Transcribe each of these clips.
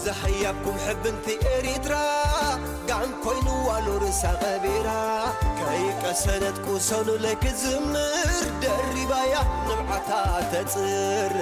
ተሓያብኩም ሕብንቲ ኤሪትራ ጋን ኮይንዋ ሉርሳ ቀቢራ ከይቀሰነት ቁሰኑ ለክዝምር ደሪባያ ንብዓታ ተጽርር።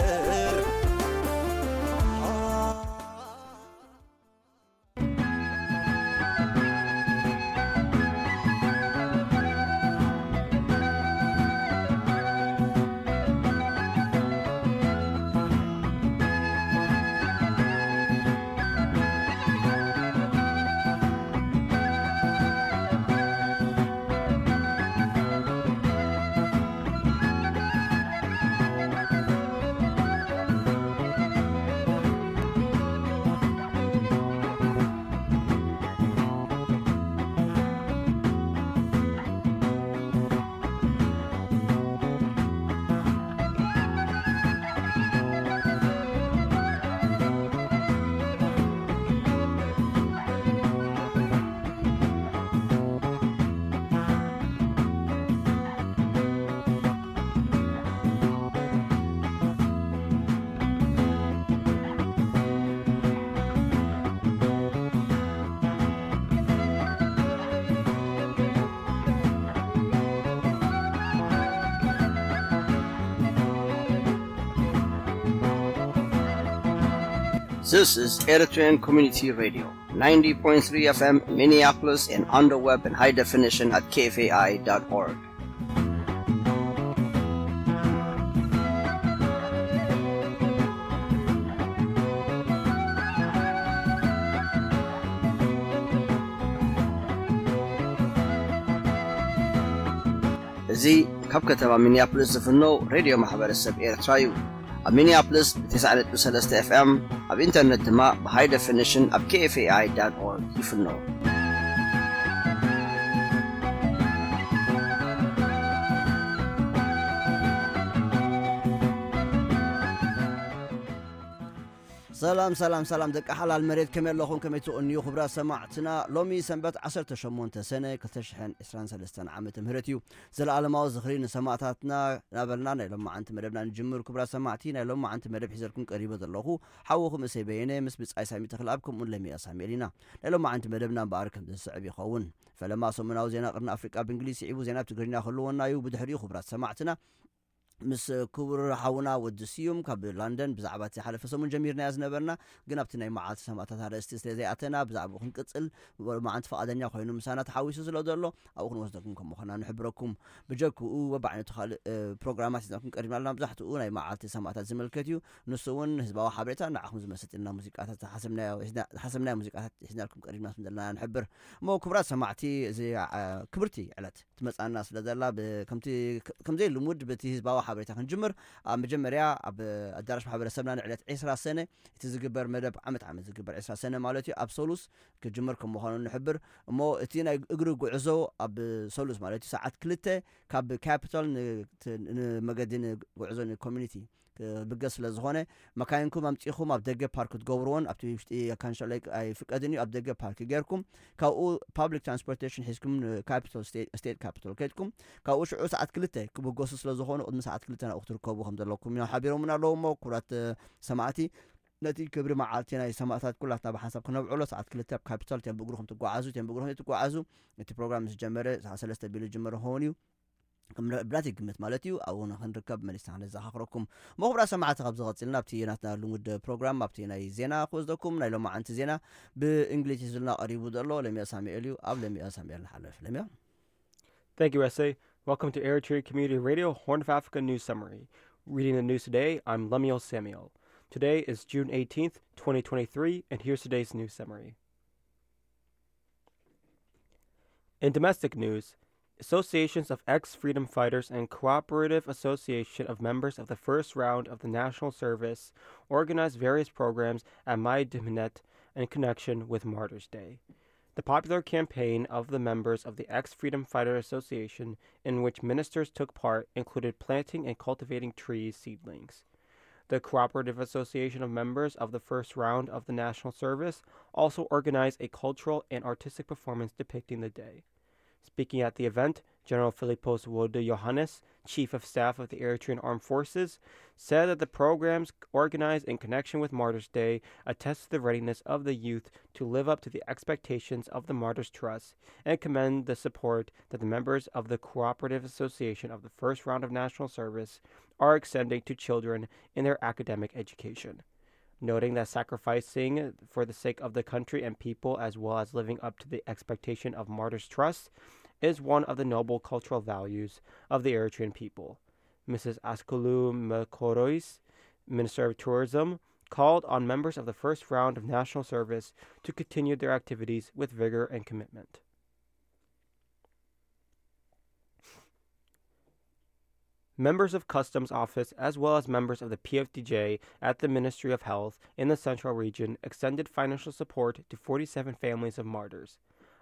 This is Eritrean Community Radio, ninety point three F M Minneapolis and on the web in high definition at K F A I dot org. እዚ ካብ ከተማ ሚኒያፖሊስ ዝፍኖ ሬድዮ ማሕበረሰብ ኤርትራ እዩ። ኣብ ሚኒያፖሊስ ብ ተስዓ ነጥቢ ሰለስተ ኤፍ ኤም፣ ኣብ ኢንተርነት ድማ ብ ሃይ ደፊኒሽን ኣብ ኬ ኤፍ ኤ ኣይ ዳት ኦርግ ይፍኖ። ሰላም ሰላም ሰላም ደቂ ሓላል መሬት፣ ከመይ ኣለኹም? ከመይ ትቕንዩ ክቡራት ሰማዕትና? ሎሚ ሰንበት ዓሰርተ ሸሞንተ ሰነ ክልተ ሽሕን ዕስራን ሰለስተን ዓመተ ምህረት እዩ። ዘለኣለማዊ ዝኽሪ ንሰማእታትና እናበልና ናይ ሎማዓንቲ መደብና ንጅምር። ክቡራት ሰማዕቲ፣ ናይ ሎማዓንቲ መደብ ሒዘልኩም ቀሪበ ዘለኹ ሓውኹም እሰይ በየነ ምስ ብጻይ ሳሚ ተኽለኣብ ከምኡውን ለሚያ ሳሙኤል ኢና። ናይ ሎማዓንቲ መደብና እምበኣር ከም ዝስዕብ ይኸውን። ፈለማ ሰሙናዊ ዜና ቅርኒ ኣፍሪቃ ብእንግሊዝ ስዒቡ ዜና ብትግርኛ ክህልወና እዩ። ብድሕሪኡ ክቡራት ሰማዕትና ምስ ክቡር ሓውና ወዲ ስዩም ካብ ላንደን ብዛዕባ እቲ ሓለፈ ሰሙን ጀሚርናዮ ዝነበርና፣ ግን ኣብቲ ናይ መዓልቲ ሰማእታት ኣርእስቲ ስለ ዘይኣተና ብዛዕባኡ ክንቅጽል ሎማዓንቲ ፍቓደኛ ኮይኑ ምሳና ተሓዊሱ ስለ ዘሎ ኣብኡ ክንወስደኩም ከም ምዃና ንሕብረኩም። ብጀክኡ በብዓይነቱ ካልእ፣ እ፣ ፕሮግራማት ሒዝናልኩም ቀሪብና ኣለና። መብዛሕትኡ ናይ መዓልቲ ሰማእታት ዝምልከት እዩ። ንሱ እውን ህዝባዊ ሓበሬታ ንዓኹም ዝመሰጥልና ሙዚቃታት ዝሓሰብናዮ፣ ዝሓሰብናዮ ሙዚቃታት ሒዝናልኩም ቀሪብና ስም ዘለና ንሕብር። እሞ ክቡራት ሰማዕቲ፣ እዚ፣ እ፣ ክብርቲ ዕለት ትመጻና ስለ ዘላ ብ-፣ ከምቲ፣ ከምዘይ ልሙድ በቲ ህዝባዊ ሓበሬታ ክንጅምር። ኣብ መጀመርያ ኣብ ኣዳራሽ ማሕበረሰብና ንዕለት ዕስራ ሰነ እቲ ዝግበር መደብ ዓመት ዓመት ዝግበር ዕስራ ሰነ ማለት እዩ ኣብ ሰሉስ ክጅምር ከም ምዃኑ ንሕብር። እሞ እቲ ናይ እግሪ ጉዕዞ ኣብ ሰሉስ ማለት እዩ ሰዓት ክልተ ካብ ካፒታል ን-፣ ት-፣ ንመገዲ ንጉዕዞ ንኮሚኒቲ ክብገስ ስለ ዝኾነ መካይንኩም ኣምጺኹም ኣብ ደገ ፓርክ ክትገብርዎን ኣብቲ ውሽጢ ካንሸሎ ኣይፍቀድን እዩ። ኣብ ደገ ፓርክ ጌርኩም ካብኡ ፓብሊክ ትራንስፖርቴሽን ሒዝኩም ንካፒታል ስቴ-፣ ስቴት ካፒታል ከድኩም ካብኡ ሽዑ ሰዓት ክልተ ክብገሱ ስለ ዝኾኑ ቅድሚ ሰዓት ክልተ ናብኡ ክትርከቡ ከም ዘለኩም እዮም ሓቢሮምና ኣለዉ። እሞ ክቡራት፣ እ፣ ሰማዕቲ ነቲ ክብሪ መዓልቲ ናይ ሰማእታት ኩላትና ብሓንሳብ ክነብዕሎ ሰዓት ክልተ ኣብ ካፒታል እቲኦም ብእግርኹም ትጓዓዙ፣ እቲኦም ብእግርኹም ትጓዓዙ። እቲ ፕሮግራም ምስ ጀመረ ሰዓት ሰለስተ ቢሉ ዝጅመር ክኸውን እዩ። ከም ብናተይ ግምት ማለት እዩ፣ ኣብኡ ንኽንርከብ መሊስና ክነዘኻኽረኩም። እሞ ክቡራት ሰማዕቲ፣ ካብ ዝቐጽልና ኣብቲ ናትና ልሙድ ፕሮግራም፣ ኣብቲ ናይ ዜና ክወስደኩም። ናይ ሎማዓንቲ ዜና ብእንግሊዝ ሒዙልና ቀሪቡ ዘሎ ለሚያ ሳሙኤል እዩ። ኣብ ለሚያ ሳሙኤል ንሓልፍ። ለሚያ። Thank you, S A. Welcome to Eritrea Community Radio, Horn of Africa News Summary. Reading the news today, I'm Lemuel Samuel. Today is June eighteenth, twenty twenty-three, and here's today's news summary. In domestic news, associations of ex-freedom fighters and cooperative association of members of the first round of the national service organized various programs at Maï Dihmnet in connection with Martyrs' Day. The popular campaign of the members of the Ex-Freedom Fighter Association in which ministers took part included planting and cultivating trees seedlings. The Cooperative Association of Members of the First Round of the National Service also organized a cultural and artistic performance depicting the day. Speaking at the event, General Philippos Wode Johannes, Chief of Staff of the Eritrean Armed Forces, said that the programs organized in connection with Martyrs' Day attest to the readiness of the youth to live up to the expectations of the Martyrs' Trust and commend the support that the members of the Cooperative Association of the First Round of National Service are extending to children in their academic education, noting that sacrificing for the sake of the country and people, as well as living up to the expectation of Martyrs' Trust, is one of the noble cultural values of the Eritrean people. Missus Askulu Mekorois, Minister of Tourism, called on members of the first round of national service to continue their activities with vigor and commitment. Members of Customs Office, as well as members of the P F D J at the Ministry of Health in the Central Region, extended financial support to forty-seven families of martyrs.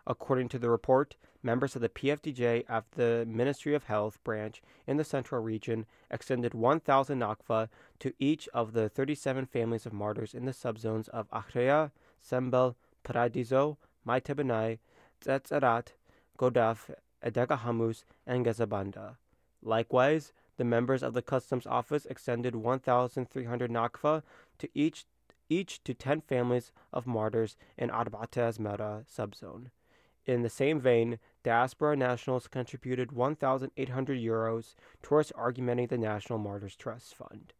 According to the report, members of the P F D J at the Ministry of Health branch in the Central Region extended one thousand nakfa to each of the thirty-seven families of martyrs in the subzones of Ahreya, Sembel, Paradiso, Maitabenai, Tsetserat, Godaf, Edega Hamus, and Gazabanda. Likewise, the members of the Customs Office extended one thousand three hundred nakfa to each, each to ten families of martyrs in Arbate Azmera subzone. In the same vein, diaspora nationals contributed one thousand eight hundred euros towards augmenting the National Martyrs Trust Fund.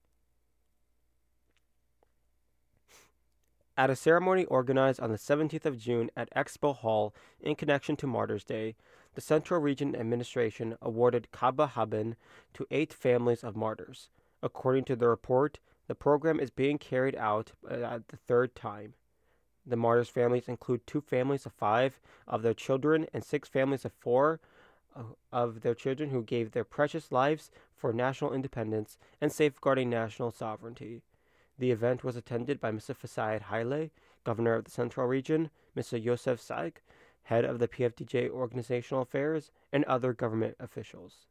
At a ceremony organized on the seventeenth of June at Expo Hall in connection to Martyrs' Day, the Central Region Administration awarded Kaba Haben to eight families of martyrs. According to the report, the program is being carried out, uh, at the third time. The martyrs' families include two families of five of their children and six families of four, uh, of their children who gave their precious lives for national independence and safeguarding national sovereignty. The event was attended by Mister Fasaid Haile, Governor of the Central Region, Mister Yosef Saik, head of the P F D J Organizational Affairs, and other government officials.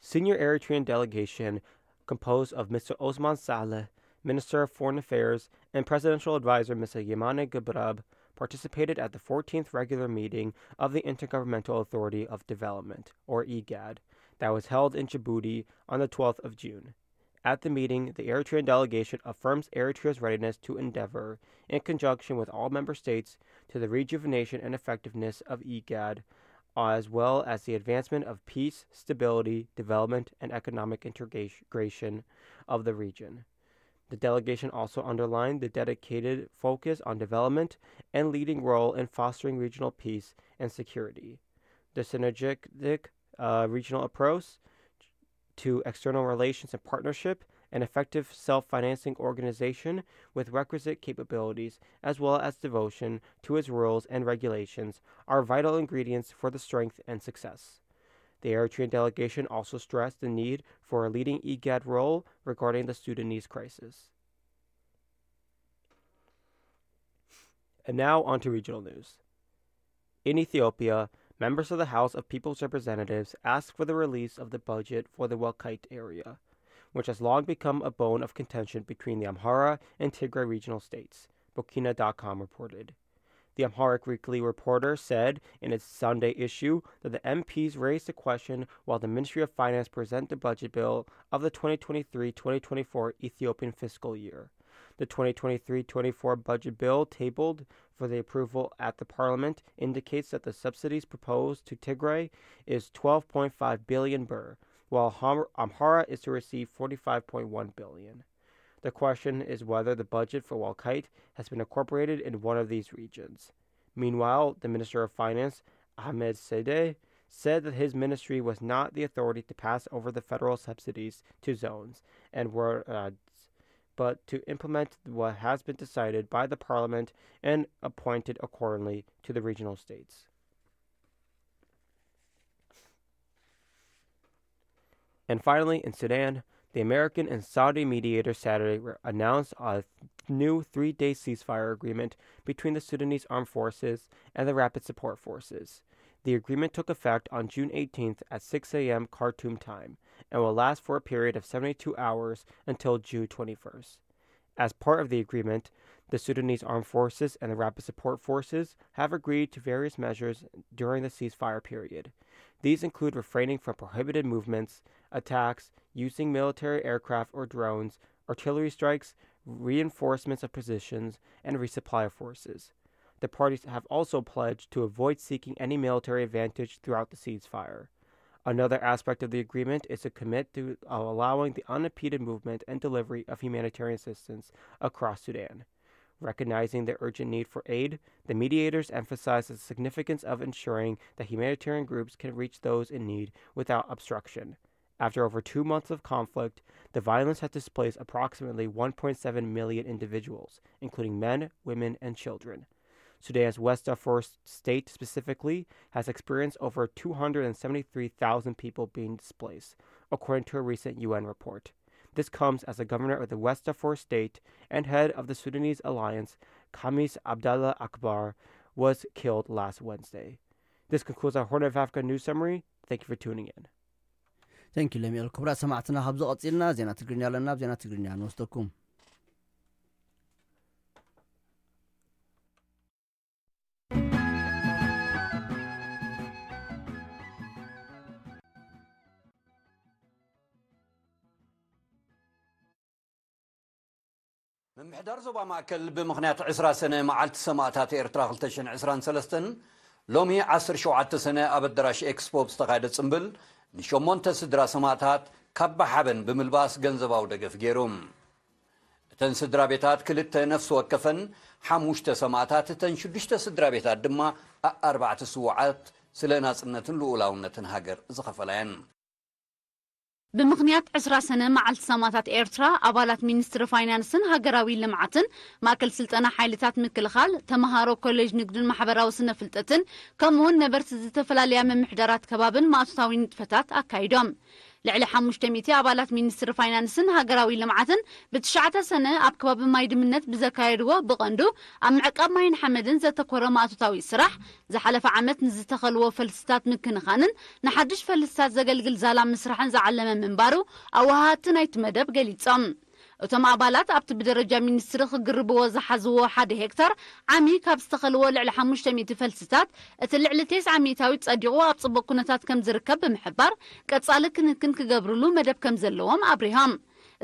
Senior Eritrean delegation, composed of Mister Osman Saleh, Minister of Foreign Affairs, and Presidential Advisor Mister Yemane Gabrab, participated at the fourteenth regular meeting of the Intergovernmental Authority of Development, or IGAD, that was held in Djibouti on the twelfth of June. At the meeting, the Eritrean delegation affirms Eritrea's readiness to endeavor, in conjunction with all member states, to the rejuvenation and effectiveness of IGAD, as well as the advancement of peace, stability, development, and economic integration of the region. The delegation also underlined the dedicated focus on development and leading role in fostering regional peace and security. The synergistic, uh, regional approach to external relations and partnership, an effective self-financing organization with requisite capabilities, as well as devotion to its rules and regulations, are vital ingredients for the strength and success. The Eritrean delegation also stressed the need for a leading IGAD role regarding the Sudanese crisis. And now on to regional news. In Ethiopia, members of the House of People's Representatives asked for the release of the budget for the Walkite area, which has long become a bone of contention between the Amhara and Tigray regional states, Bokina dot com reported. The Amharic Weekly Reporter said in its Sunday issue that the M Ps raised the question while the Ministry of Finance present the budget bill of the twenty twenty-three twenty twenty-four Ethiopian fiscal year. The twenty twenty-three twenty-four budget bill tabled for the approval at the parliament indicates that the subsidies proposed to Tigray is twelve point five billion birr, while Ham- Amhara is to receive forty-five point one billion. The question is whether the budget for Walkite has been incorporated in one of these regions. Meanwhile, the Minister of Finance, Ahmed Sedeh, said that his ministry was not the authority to pass over the federal subsidies to zones and were, uh, but to implement what has been decided by the parliament and appointed accordingly to the regional states. And finally, in Sudan, the American and Saudi mediator Saturday re- announced a new three-day ceasefire agreement between the Sudanese Armed Forces and the Rapid Support Forces. The agreement took effect on June eighteenth at six a m Khartoum time and will last for a period of seventy-two hours until June twenty-first. As part of the agreement, The Sudanese Armed Forces and the Rapid Support Forces have agreed to various measures during the ceasefire period. These include refraining from prohibited movements, attacks, using military aircraft or drones, artillery strikes, reinforcements of positions, and resupply of forces. The parties have also pledged to avoid seeking any military advantage throughout the ceasefire. Another aspect of the agreement is to commit to allowing the unimpeded movement and delivery of humanitarian assistance across Sudan. Recognizing the urgent need for aid, the mediators emphasize the significance of ensuring that humanitarian groups can reach those in need without obstruction. After over two months of conflict, the violence has displaced approximately one point seven million individuals, including men, women, and children. Sudan's West Darfur state specifically has experienced over two hundred seventy-three thousand people being displaced, according to a recent U N report. This comes as the governor of the West Darfur state and head of the Sudanese Alliance, Khamis Abdallah Akbar, was killed last Wednesday. This concludes our Horn of Africa news summary. Thank you for tuning in. Thank you, Lemuel. ክቡራት ሰማዕትና፣ ካብዚ ቀጺልና ዜና ትግርኛ ኣለና። ኣብ ዜና ትግርኛ ንወስደኩም። ምምሕዳር ዞባ ማእከል ብምኽንያት ዕስራ ሰነ መዓልቲ ሰማእታት ኤርትራ ክልተ ሽሕን ዕስራን ሰለስተን ሎሚ ዓሰርተ ሸውዓተ ሰነ ኣብ ኣዳራሽ ኤክስፖ ብዝተኻየደ ጽምብል ንሸሞንተ ስድራ ሰማእታት ካባ ሓበን ብምልባስ ገንዘባዊ ደገፍ ገይሩ። እተን ስድራ ቤታት ክልተ ነፍሲ ወከፈን ሓሙሽተ ሰማእታት፣ እተን ሽዱሽተ ስድራ ቤታት ድማ ኣርባዕተ ስውዓት ስለ ናጽነትን ልኡላውነትን ሃገር ዝኸፈላ እየን። ብምኽንያት ዕስራ ሰነ መዓልቲ ሰማእታት ኤርትራ፣ ኣባላት ሚኒስትሪ ፋይናንስን ሃገራዊ ልምዓትን፣ ማእከል ስልጠና ሓይልታት ምክልኻል፣ ተመሃሮ ኮሌጅ ንግድን ማሕበራዊ ስነ ፍልጠትን፣ ከምኡውን ነበርቲ ዝተፈላለያ ምምሕዳራት ከባብን ማእቶታዊ ንጥፈታት ኣካይዶም። ልዕሊ ሓሙሽተ ሚእቲ ኣባላት ሚኒስትሪ ፋይናንስን ሃገራዊ ልምዓትን ብትሽዓተ ሰነ ኣብ ከባቢ ማይ ድምነት ብዘካየድዎ ብቐንዱ ኣብ ምዕቃብ ማይን ሓመድን ዘተኮረ ማእቶታዊ ስራሕ፣ ዝሓለፈ ዓመት ንዝተኸልዎ ፈልስታት ምክንኻንን ንሓድሽ ፈልስታት ዘገልግል ዛላ ምስራሕን ዝዓለመ ምንባሩ ኣወሃሃድቲ ናይቲ መደብ ገሊጾም። እቶም ኣባላት ኣብቲ ብደረጃ ሚኒስትሪ ክግርብዎ ዝሓዝዎ ሓደ ሄክታር ዓሚ ካብ ዝተኸልዎ ልዕሊ ሓሙሽተ ሚእቲ ፈልስታት እቲ ልዕሊ ተስዓ ሚእታዊት ጸዲቑ ኣብ ጽቡቕ ኩነታት ከም ዝርከብ ብምሕባር፣ ቀጻሊ ክንክን ክገብርሉ መደብ ከም ዘለዎም ኣብሪሆም።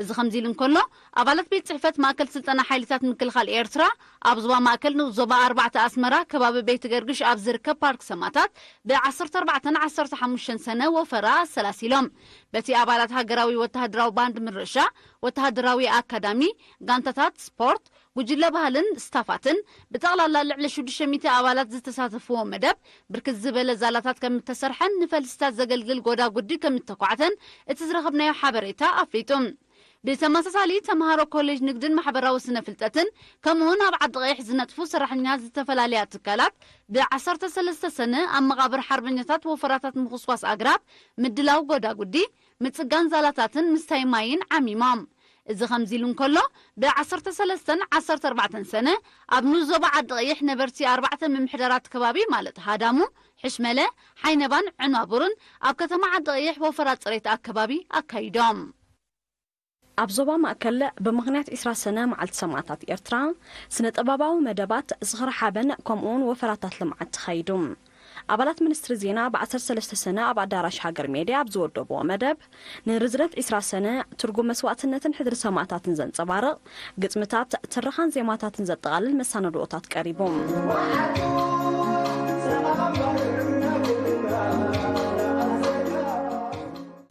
እዚ ከምዚ ኢሉ እንከሎ፣ ኣባላት ቤት ጽሕፈት ማእከል ስልጠና ሓይልታት ምክልኻል ኤርትራ ኣብ ዞባ ማእከል ንኡስ ዞባ ኣርባዕተ ኣስመራ ከባቢ ቤት ገርግሽ ኣብ ዝርከብ ፓርክ ሰማታት ብ ዓሰርተ ኣርባዕተን ዓሰርተ ሓሙሽተን ሰነ ወፈራ ኣሰላሲሎም። በቲ ኣባላት ሃገራዊ ወተሃደራዊ ባንድ ምርሻ፣ ወተሃደራዊ ኣካዳሚ፣ ጋንታታት ስፖርት፣ ጉጅለ ባህልን ስታፋትን ብጠቕላላ ልዕሊ ሽዱሽተ ሚእቲ ኣባላት ዝተሳተፍዎ መደብ፣ ብርክት ዝበለ ዛላታት ከም እተሰርሐን ንፈልስታት ዘገልግል ጎዳጉዲ ከም እተኳዕተን እቲ ዝረኸብናዮ ሓበሬታ ኣፍሊጡ። ብተመሳሳሊ፣ ተምሃሮ ኮሌጅ ንግድን ማሕበራዊ ስነ ፍልጠትን፣ ከምኡውን ኣብ ዓዲ ቀይሕ ዝነጥፉ ሰራሕተኛታት ዝተፈላለያ ትካላት፣ ብ ዓሰርተ ሰለስተ ሰነ ኣብ መቓብር ሓርበኛታት ወፈራታት ምኹስኳስ ኣግራብ፣ ምድላው ጎዳጉዲ፣ ምጽጋን ዛላታትን ምስታይ ማይን ዓሚሞም። እዚ ከምዚ ኢሉ እንከሎ፣ ብ ዓሰርተ ሰለስተን ዓሰርተ ኣርባዕተን ሰነ ኣብ ንኡስ ዞባ ዓዲ ቀይሕ ነበርቲ ኣርባዕተ ምምሕዳራት ከባቢ ማለት ሃዳሙ፣ ሕሽመለ፣ ሓይነባን ዕናቡርን ኣብ ከተማ ዓዲ ቀይሕ ወፈራ ጽሬት ኣከባቢ ኣካይዶም። ኣብ ዞባ ማእከል ብምኽንያት ዕስራ ሰነ መዓልቲ ሰማእታት ኤርትራ ስነ ጥበባዊ መደባት ዝኽሪ ሓበን ከምኡውን ወፈራታት ልምዓት ተኻይዱ። ኣባላት ሚኒስትሪ ዜና ብ ዓሰርተ ሰለስተ ሰነ ኣብ ኣዳራሽ ሃገር ሜድያ ኣብ ዝወደብዎ መደብ፣ ንርዝነት ዕስራ ሰነ ትርጉም መስዋእትነትን ሕድሪ ሰማእታትን ዘንጸባርቕ ግጥምታት፣ ትረኻን ዜማታትን ዘጠቓልል መሳነድኦታት ቀሪቡ።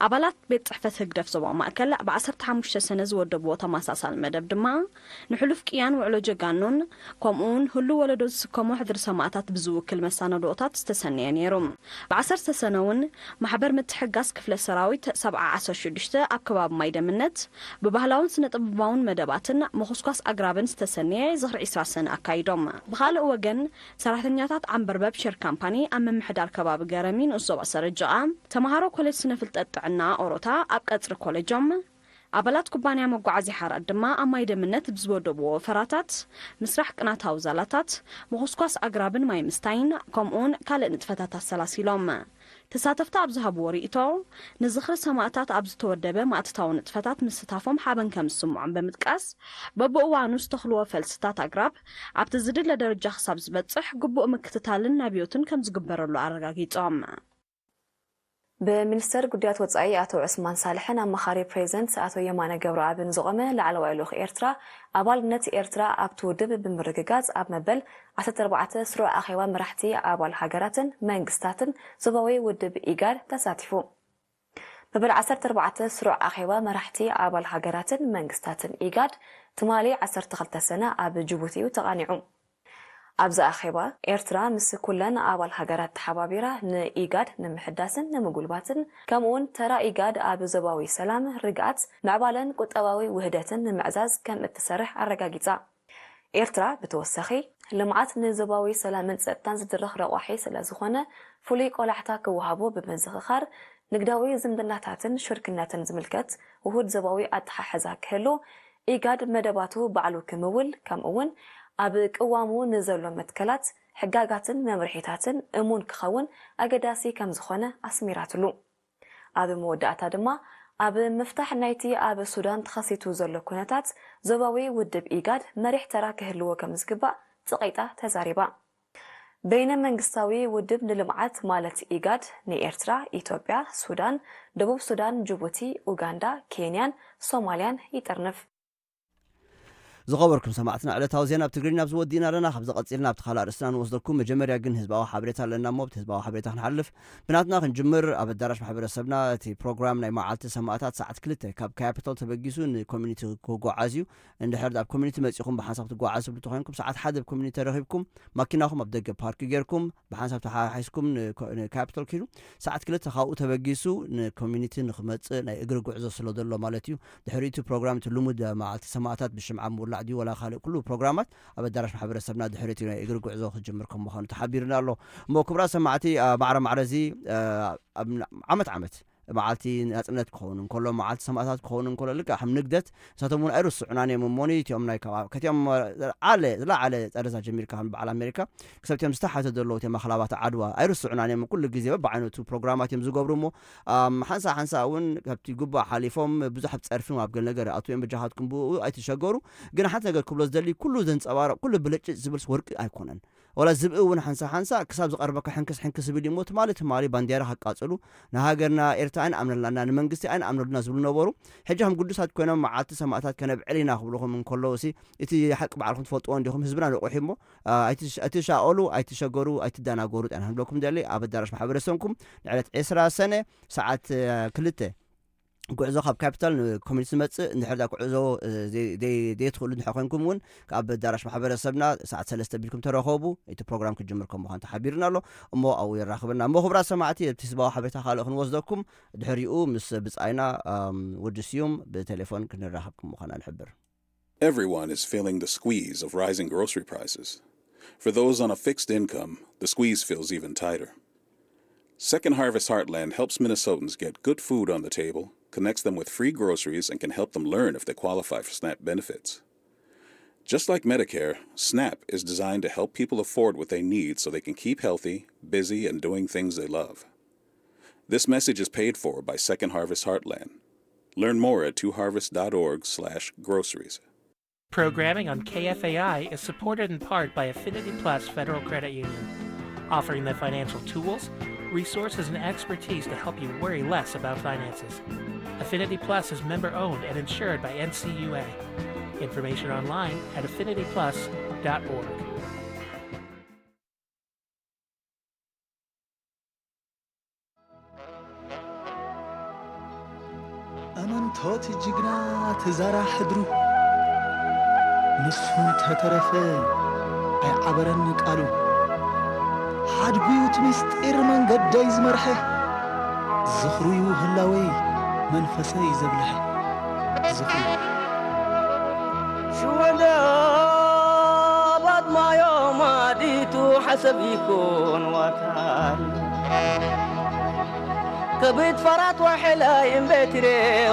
ኣባላት ቤት ጽሕፈት ህግደፍ ዞባ ማእከል ብ ዓሰርተ ሓሙሽተ ሰነ ዝወደብዎ ተመሳሳሊ መደብ ድማ፣ ንሕሉፍ ቅያን ውዕሎ ጀጋኑን ከምኡውን ህሉው ወለዶ ዝስከሞ ሕድሪ ሰማእታት ብዝውክል መሳነድኦታት ዝተሰነየ ነይሩ። ብ ዓሰርተ ሰነ እውን ማሕበር ምትሕግጋዝ ክፍለ ሰራዊት ሰብዓ ዓሰርተ ሽዱሽተ ኣብ ከባቢ ማይ ደምነት ብባህላውን ስነ ጥበባውን መደባትን ምኹስኳስ ኣግራብን ዝተሰነየ ዝኽሪ ዕስራ ሰነ ኣካይዶም። ብኻልእ ወገን፣ ሰራሕተኛታት ዓንበርበብ ሼር ካምፓኒ ኣብ ምምሕዳር ከባቢ ገረሚ ንኡስ ዞባ ሰረጅቓ፣ ተምሃሮ ኮሌጅ ስነ ፍልጠት ጥዕና ኦሮታ ኣብ ቀጽሪ ኮሌጆም፣ ኣባላት ኩባንያ መጓዓዝያ ሓራት ድማ ኣብ ማይ ደምነት ብዝወደብዎ ወፈራታት፣ ምስራሕ ቅናታዊ ዛላታት፣ ምኹስኳስ ኣግራብን ማይ ምስታይን፣ ከምኡውን ካልእ ንጥፈታት ኣሰላሲሎም። ተሳተፍቲ ኣብ ዝሃብዎ ርእይቶ፣ ንዝኽሪ ሰማእታት ኣብ ዝተወደበ ማእትታዊ ንጥፈታት ምስታፎም ሓበን ከም ዝስምዖም ብምጥቃስ፣ በብእዋኑ ዝተኽልዎ ፈልስታት ኣግራብ ኣብቲ ዝድለ ደረጃ ክሳብ ዝበጽሕ ግቡእ ምክትታልን ኣብዮትን ከም ዝግበረሉ ኣረጋጊጾም። ብሚኒስተር ጉዳያት ወጻኢ ኣቶ ዑስማን ሳልሕን ኣማኻሪ ፕሬዚደንት ኣቶ የማነ ገብረኣብን ዝቖመ ላዕለዋይ ልኡኽ ኤርትራ፣ ኣባልነት ኤርትራ ኣብቲ ውድብ ብምርግጋጽ ኣብ መበል ዓሰርተ ኣርባዕተ ስሩዕ ኣኼባ መራሕቲ ኣባል ሃገራትን መንግስታትን ዞባዊ ውድብ ኢጋድ ተሳቲፉ። መበል ዓሰርተ ኣርባዕተ ስሩዕ ኣኼባ መራሕቲ ኣባል ሃገራትን መንግስታትን ኢጋድ ትማሊ ዓሰርተ ክልተ ሰነ ኣብ ጅቡቲ እዩ ተቓኒዑ። ኣብዚ ኣኼባ፣ ኤርትራ ምስ ኩለን ኣባል ሃገራት ተሓባቢራ ንኢጋድ ንምሕዳስን ንምጉልባትን፣ ከምኡውን ተራ ኢጋድ ኣብ ዞባዊ ሰላም፣ ርግኣት፣ ምዕባለን ቁጠባዊ ውህደትን ንምዕዛዝ ከም እትሰርሕ ኣረጋጊጻ። ኤርትራ ብተወሳኺ፣ ልምዓት ንዞባዊ ሰላምን ጸጥታን ዝድርኽ ረቋሒ ስለ ዝኾነ፣ ፍሉይ ቆላሕታ ክወሃቦ ብምዝኽኻር፣ ንግዳዊ ዝምድናታትን ሽርክነትን ዝምልከት ውሁድ ዞባዊ ኣተሓሕዛ ክህሉ፣ ኢጋድ መደባቱ ባዕሉ ክምውል፣ ከምኡውን ኣብ ቅዋሙ ንዘሎ መትከላት፣ ሕጋጋትን መምርሒታትን እሙን ክኸውን ኣገዳሲ ከም ዝኾነ ኣስሚራትሉ። ኣብ መወዳእታ ድማ፣ ኣብ ምፍታሕ ናይቲ ኣብ ሱዳን ተኸሲቱ ዘሎ ኩነታት፣ ዞባዊ ውድብ ኢጋድ መሪሕ ተራ ክህልዎ ከም ዝግባእ ጸቒጣ ተዛሪባ። በይነ መንግስታዊ ውድብ ንልምዓት ማለት ኢጋድ ንኤርትራ፣ ኢትዮጵያ፣ ሱዳን፣ ደቡብ ሱዳን፣ ጅቡቲ፣ ኡጋንዳ፣ ኬንያን ሶማልያን ይጥርንፍ። ዝኸበርኩም ሰማዕትና፣ ዕለታዊ ዜና ኣብ ትግርኛ ኣብዚ ወዲእና ኣለና። ካብዚ ቀጺልና ኣብቲ ካልእ ኣርእስትና ንወስደኩም። መጀመርያ ግን ህዝባዊ ሓበሬታ ኣለና እሞ፣ ኣብቲ ህዝባዊ ሓበሬታ ክንሓልፍ፣ ብናትና ክንጅምር፣ ኣብ ኣዳራሽ ማሕበረሰብና እቲ ፕሮግራም ናይ መዓልቲ ሰማእታት ሰዓት ክልተ ካብ ካፒታል ተበጊሱ ንኮሚኒቲ ክጓዓዝ እዩ። እንድሕር ኣብ ኮሚኒቲ መጺኹም ብሓንሳብ ትጓዓዙ ትብሉ ተኾይንኩም፣ ሰዓት ሓደ ኣብ ኮሚኒቲ ተረኺብኩም፣ ማኪናኹም ኣብ ደገ ፓርክ ጌርኩም፣ ብሓንሳብ ተሓሒስኩም ንኮ-፣ ንካፒታል ኪዱ፣ ሰዓት ክልተ ካብኡ ተበጊሱ ንኮሚኒቲ ንኽመጽእ ናይ እግሪ ጉዕዞ ስለ ዘሎ ማለት እዩ። ድሕሪ እቲ ፕሮግራም፣ እቲ ልሙድ መዓልቲ ሰማእታት ብሽምዓ ምውላዕ ድዩ፣ ወላ ካልእ ኩሉ ፕሮግራማት ኣብ ኣዳራሽ ማሕበረሰብና ድሕሪ እቲ ናይ እግሪ ጉዕዞ ክጅምር ከም ምዃኑ ተሓቢርና ኣሎ። እሞ ክቡራት ሰማዕቲ፣ ኣ፣ ማዕረ ማዕረ እዚ፣ ኣ፣ ኣብ ዓመት ዓመት መዓልቲ ናጽነት ክኸውን እንከሎ፣ መዓልቲ ሰማእታት ክኸውን እንከሎ፣ ልክዕ ከም ንግደት፣ ንሳቶም እውን ኣይርስዑናን እዮም። እሞኒ እቲኦም ናይ ካብ፣ ከቲኦም ዝለዓለ፣ ዝለዓለ ጠረዛ ጀሚርካ፣ ከም በዓል ኣሜሪካ ክሳብ እቲኦም ዝተሓተ ዘለዉ፣ እቲኦም ኣኽላባት ዓድዋ ኣይርስዑናን እዮም። ኩሉ ግዜ በብዓይነቱ ፕሮግራማት እዮም ዝገብሩ እሞ፣ ኣም፣ ሓንሳ ሓንሳ እውን ካብቲ ግቡእ ሓሊፎም ብዙሕ ኣብ ጸርፊ ኣብ ገለ ነገር ኣትዎም በጃኻትኩም ብኡ ኣይትሸገሩ። ግን ሓንቲ ነገር ክብሎ ዝደሊ፣ ኩሉ ዘንጸባርቕ፣ ኩሉ ብልጭ ዝብልስ ወርቂ ኣይኮነን። ወላ ዝብኢ እውን ሓንሳ ሓንሳ ክሳብ ዝቐርበካ ሕንክስ ሕንክስ ዝብል እዩ እሞ፣ ትማሊ ትማሊ ባንዴራ ከቃጽሉ፣ ንሃገርና ኤርትራ ኣይንኣምነላና፣ ንመንግስቲ ኣይንኣምነሉና ዝብሉ ነበሩ። ሕጂ ከም ግዱሳት ኮይኖም መዓልቲ ሰማእታት ከነብዕል ኢና ክብልኹም እንከለዉ ሲ፣ እቲ ሓቂ ባዕልኹም ትፈልጥዎ እንዲኹም፣ ህዝብና ንቑሕ እዩ እሞ፣ ኣ፣ ኣይትሽ-፣ ኣይትሻቐሉ፣ ኣይትሸገሩ፣ ኣይትደናገሩ ጥራይ ንብለኩም ደሊ። ኣብ ኣዳራሽ ማሕበረሰብኩም ንዕለት ዕስራ ሰነ ሰዓት፣ እ፣ ክልተ ጉዕዞ ካብ ካፒታል ንኮሚኒቲ ዝመጽእ፣ እንድሕር ዳ ጉዕዞ፣ እ፣ ዘይ-፣ ዘይ-፣ ዘይትኽእሉ እንድሕር ኮንኩም እውን፣ ካብ ኣዳራሽ ማሕበረሰብና ሰዓት ሰለስተ ቢልኩም ተረኸቡ፣ እቲ ፕሮግራም ክጅምር ከም ምዃኑ ተሓቢርና ኣሎ። እሞ ኣብኡ የራኽበና። እሞ ክቡራት ሰማዕቲ፣ እቲ ህዝባዊ ሓበሬታ ካልእ ክንወስደኩም፣ ድሕሪኡ ምስ ብጻይና፣ ኣም፣ ወዲ ስዩም ብቴሌፎን ክንራኸብ ከም ምዃና ንሕብር። Everyone is feeling the squeeze of rising grocery prices. For those on a fixed income, the squeeze feels even tighter. Second Harvest Heartland helps Minnesotans get good food on the table, connects them with free groceries, and can help them learn if they qualify for SNAP benefits. Just like Medicare, SNAP is designed to help people afford what they need so they can keep healthy, busy, and doing things they love. This message is paid for by Second Harvest Heartland. Learn more at two harvest dot org slash groceries. Programming on K F A I is supported in part by Affinity Plus Federal Credit Union, offering the financial tools, resources, and expertise to help you worry less about finances. Affinity Plus is member owned and insured by N C U A. Information online at affinity plus dot org. ኣመንቶት ጅግና ተዛራ ሕድሩ፣ ንሱ እንተተረፈ ኣይዓበረን ቃሉ። ሓድጉ እቲ ምስጢር መንገደይ ዝመርሐ፣ ዝኽሩዩ ህላወይ መንፈሰይ ዘብልሐ። ዝኽሩ ሽወደባት ማዮም ኣዲቱ ሓሰብ ይኩን ዋታይ። ከብት ፈራት ወሐላይ እምበትሬ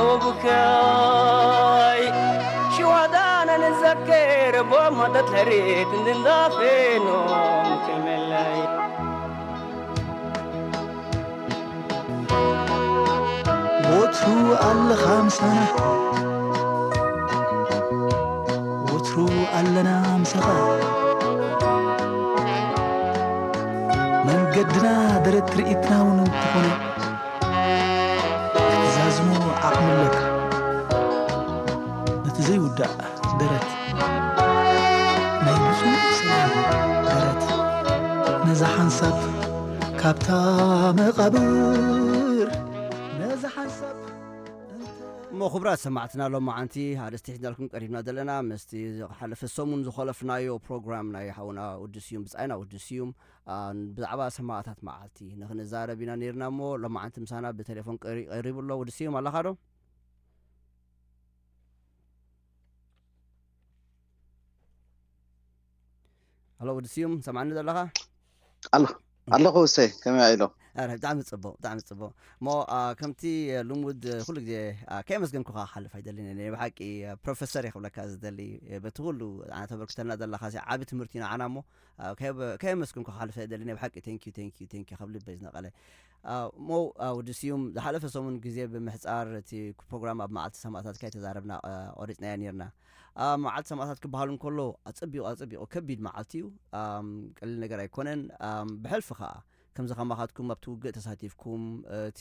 ወቡካይ ሽዋዳና ንዘክር ቦማተት ሕሪት እንድንዳፌኖም ክልመላይ። ወትሩ ኣለኻ ምሳና፣ ወትሩ ኣለና ምሳኻ። መንገድና ደረት ትርኢትና እውን እንተኾነ፣ ክትዛዝሞ ዓቕሚ ኣለካ። ነቲ ዘይውዳእ ደረት፣ ናይ ብፁዕ ሰላም ደረት፣ ነዛ ሓንሳብ ካብታ መቓብር፣ ነዛ ሓንሳብ እሞ ክቡራት ሰማዕትና፣ ሎማዓንቲ ኣርእስቲ ሒዝናልኩም ቀሪብና ዘለና፣ ምስቲ ዝሓለፈ ሰሙን ዝኸለፍናዮ ፕሮግራም ናይ ሓውና ውዲ ስዩም፣ ብጻይና ውዲ ስዩም፣ አ፣ ብዛዕባ ሰማእታት መዓልቲ ንኽንዛረብ ኢና ነይርና። እሞ ሎማዓንቲ ምሳና ብቴሌፎን ቀሪ-፣ ቀሪቡ ኣሎ። ውዲ ስዩም ኣለኻ ዶ? ኣሎ ውዲ ስዩም፣ ሰማዕኒ ዘለኻ? ኣሎ፣ ኣለኹ እሰይ፣ ከመይ ኢሎ? ኣረ፣ ብጣዕሚ ጽቡቕ፣ ብጣዕሚ ጽቡቕ። እሞ፣ አ፣ ከምቲ ልሙድ፣ ኩሉ ግዜ፣ አ፣ ከየመስገንኩኻ ክሓልፍ ኣይደልን እየ። ናይ ብሓቂ፣ አ፣ ፕሮፌሰር እየ ክብለካ ዝደሊ፣ እ፣ በቲ ኩሉ ኣነ ተበርክተልና ዘለኻ ሲ ዓቢ ትምህርቲ ንዓና እሞ፣ አ፣ ከየ-፣ ከየመስገንኩኻ ክሓልፍ ኣይደልን። ናይ ብሓቂ ቴንኪዩ፣ ቴንኪዩ፣ ቴንኪዩ ካብ ልበይ ዝነቐለ። አ፣ እሞ፣ አ፣ ወዲ ስዩም፣ ዝሓለፈ ሰሙን ግዜ ብምሕጻር እቲ ፕሮግራም ኣብ መዓልቲ ሰማእታት ከይተዛረብና፣ አ፣ ቆሪጽናዮ ኔርና። ኣብ መዓልቲ ሰማእታት ክበሃል እንከሎ፣ ኣጸቢቑ፣ ኣጸቢቑ ከቢድ መዓልቲ እዩ። ኣም፣ ቀሊል ነገር ኣይኮነን። ኣም፣ ብሕልፊ ኸኣ፣ ከምዚ ከማኻትኩም ኣብቲ ውግእ ተሳቲፍኩም፣ እቲ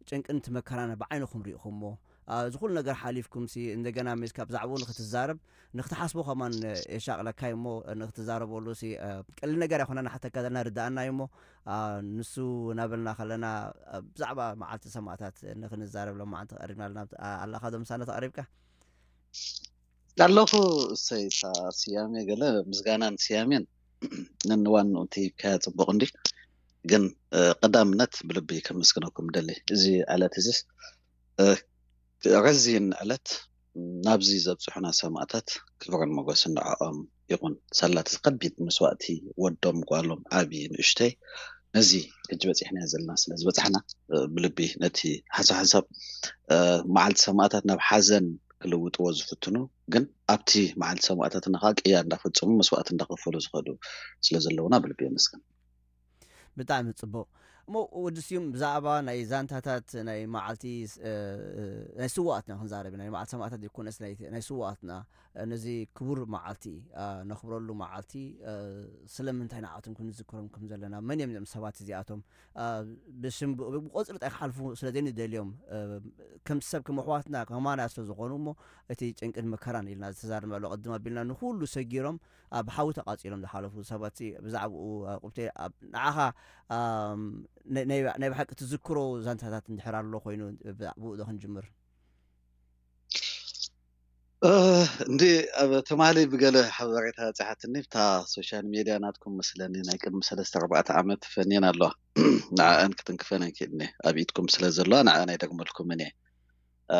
ጭንቅን እቲ መከራን ብዓይንኹም ርኢኹሞ፣ ኣ፣ እዚ ኩሉ ነገር ሓሊፍኩምሲ፣ እንደገና ሜስካ ብዛዕባኡ ንኽትዛረብ፣ ንኽትሓስቦ ከማን የሻቕለካ እዩ እሞ፣ ንኽትዛረበሉ ሲ፣ እ፣ ቀሊል ነገር ኣይኮነን፣ ንሓተካ ዘለና ርድኣና እዩ እሞ፣ ኣ፣ ንሱ እናበልና ከለና፣ እ፣ ብዛዕባ መዓልቲ ሰማእታት ንኽንዛረብ ሎማዓንቲ ቀሪብና ኣለና። ኣ፣ ኣለኻ ዶ ምሳና ተቐሪብካ? ኣለኹ እሰይ፣ እታ ስያሜ ገለ ምስጋናን ስያሜን ነንዋንኡ እንተሂብካያ ጽቡቕ እንዲ። ግን፣ እ፣ ቀዳምነት ብልቢ ከመስግነኩም እደሊ። እዚ ዕለት እዚስ፣ እ፣ ረዚን ዕለት ናብዚ ዘብጽሑና ሰማእታት ክብርን ሞገስን ንዕኦም ይኹን። ሳላ እቲ ከቢድ መስዋእቲ ወዶም፣ ጓሎም፣ ዓቢ ንእሽተይ ነዚ ሕጂ በጺሕናዮ ዘለና ስለ ዝበጻሕና፣ እ፣ ብልቢ ነቲ ሓንሳብ ሓንሳብ፣ እ፣ መዓልቲ ሰማእታት ናብ ሓዘን ክልውጥዎ ዝፍትኑ፣ ግን ኣብቲ መዓልቲ ሰማእታትና ከኣ ቅያ እንዳፈጸሙ መስዋእቲ እንዳኸፈሉ ዝኸዱ ስለ ዘለውና ብልቢ የመስግን። ብጣዕሚ ጽቡቕ። እሞ ወዲ ስዩም፣ ብዛዕባ ናይ ዛንታታት ናይ መዓልቲ ስ-፣ እ፣ ናይ ስውኣትና ክንዛረብ ኢና። ናይ መዓልቲ ሰማእታት ዘይኮነስ ናይ፣ ናይ ስውኣትና፣ እ፣ ነዚ ክቡር መዓልቲ፣ እ፣ ነኽብረሉ መዓልቲ፣ እ፣ ስለምንታይ ንዓቶም ክንዝክሮም ከም ዘለና፣ መን እዮም እዞም ሰባት እዚኣቶም? እ፣ ብሽም ብ-፣ ብቆጽሪ ጥራይ ክሓልፉ ስለ ዘይንደልዮም፣ እ፣ ከም ሰብ፣ ከም ኣሕዋትና፣ ከማና ስለ ዝኾኑ እሞ፣ እቲ ጭንቅን መከራን ኢልና ዝተዛረብና ኣሎ ቅድም ኣቢልና፣ ንኹሉ ሰጊሮም ኣብ ሓዊ ተቓጺሎም ዝሓለፉ ሰባት ሲ ብዛዕባኡ፣ እ፣ ቁብቴ ኣብ ንዓኻ፣ ኣም፣ ናይ፣ ናይ፣ ናይ ብሓቂ ትዝክሮ ዛንታታት እንድሕር ኣሎ ኮይኑ ብዛዕባኡ ዶ ክንጅምር? እ፣ እንዲ ኣብ ትማሊ ብገለ ሓበሬታ በጺሓትኒ፣ ብታ ሶሻል ሜድያ ናትኩም መስለኒ ናይ ቅድሚ ሰለስተ ኣርባዕተ ዓመት ፈንየን ኣለዋ። ንዕኣን ክትንክፈን ኣይክእልን እየ። ኣብ ኢድኩም ስለ ዘለዋ ንዕኣን ኣይደግመልኩምን እየ። እ፣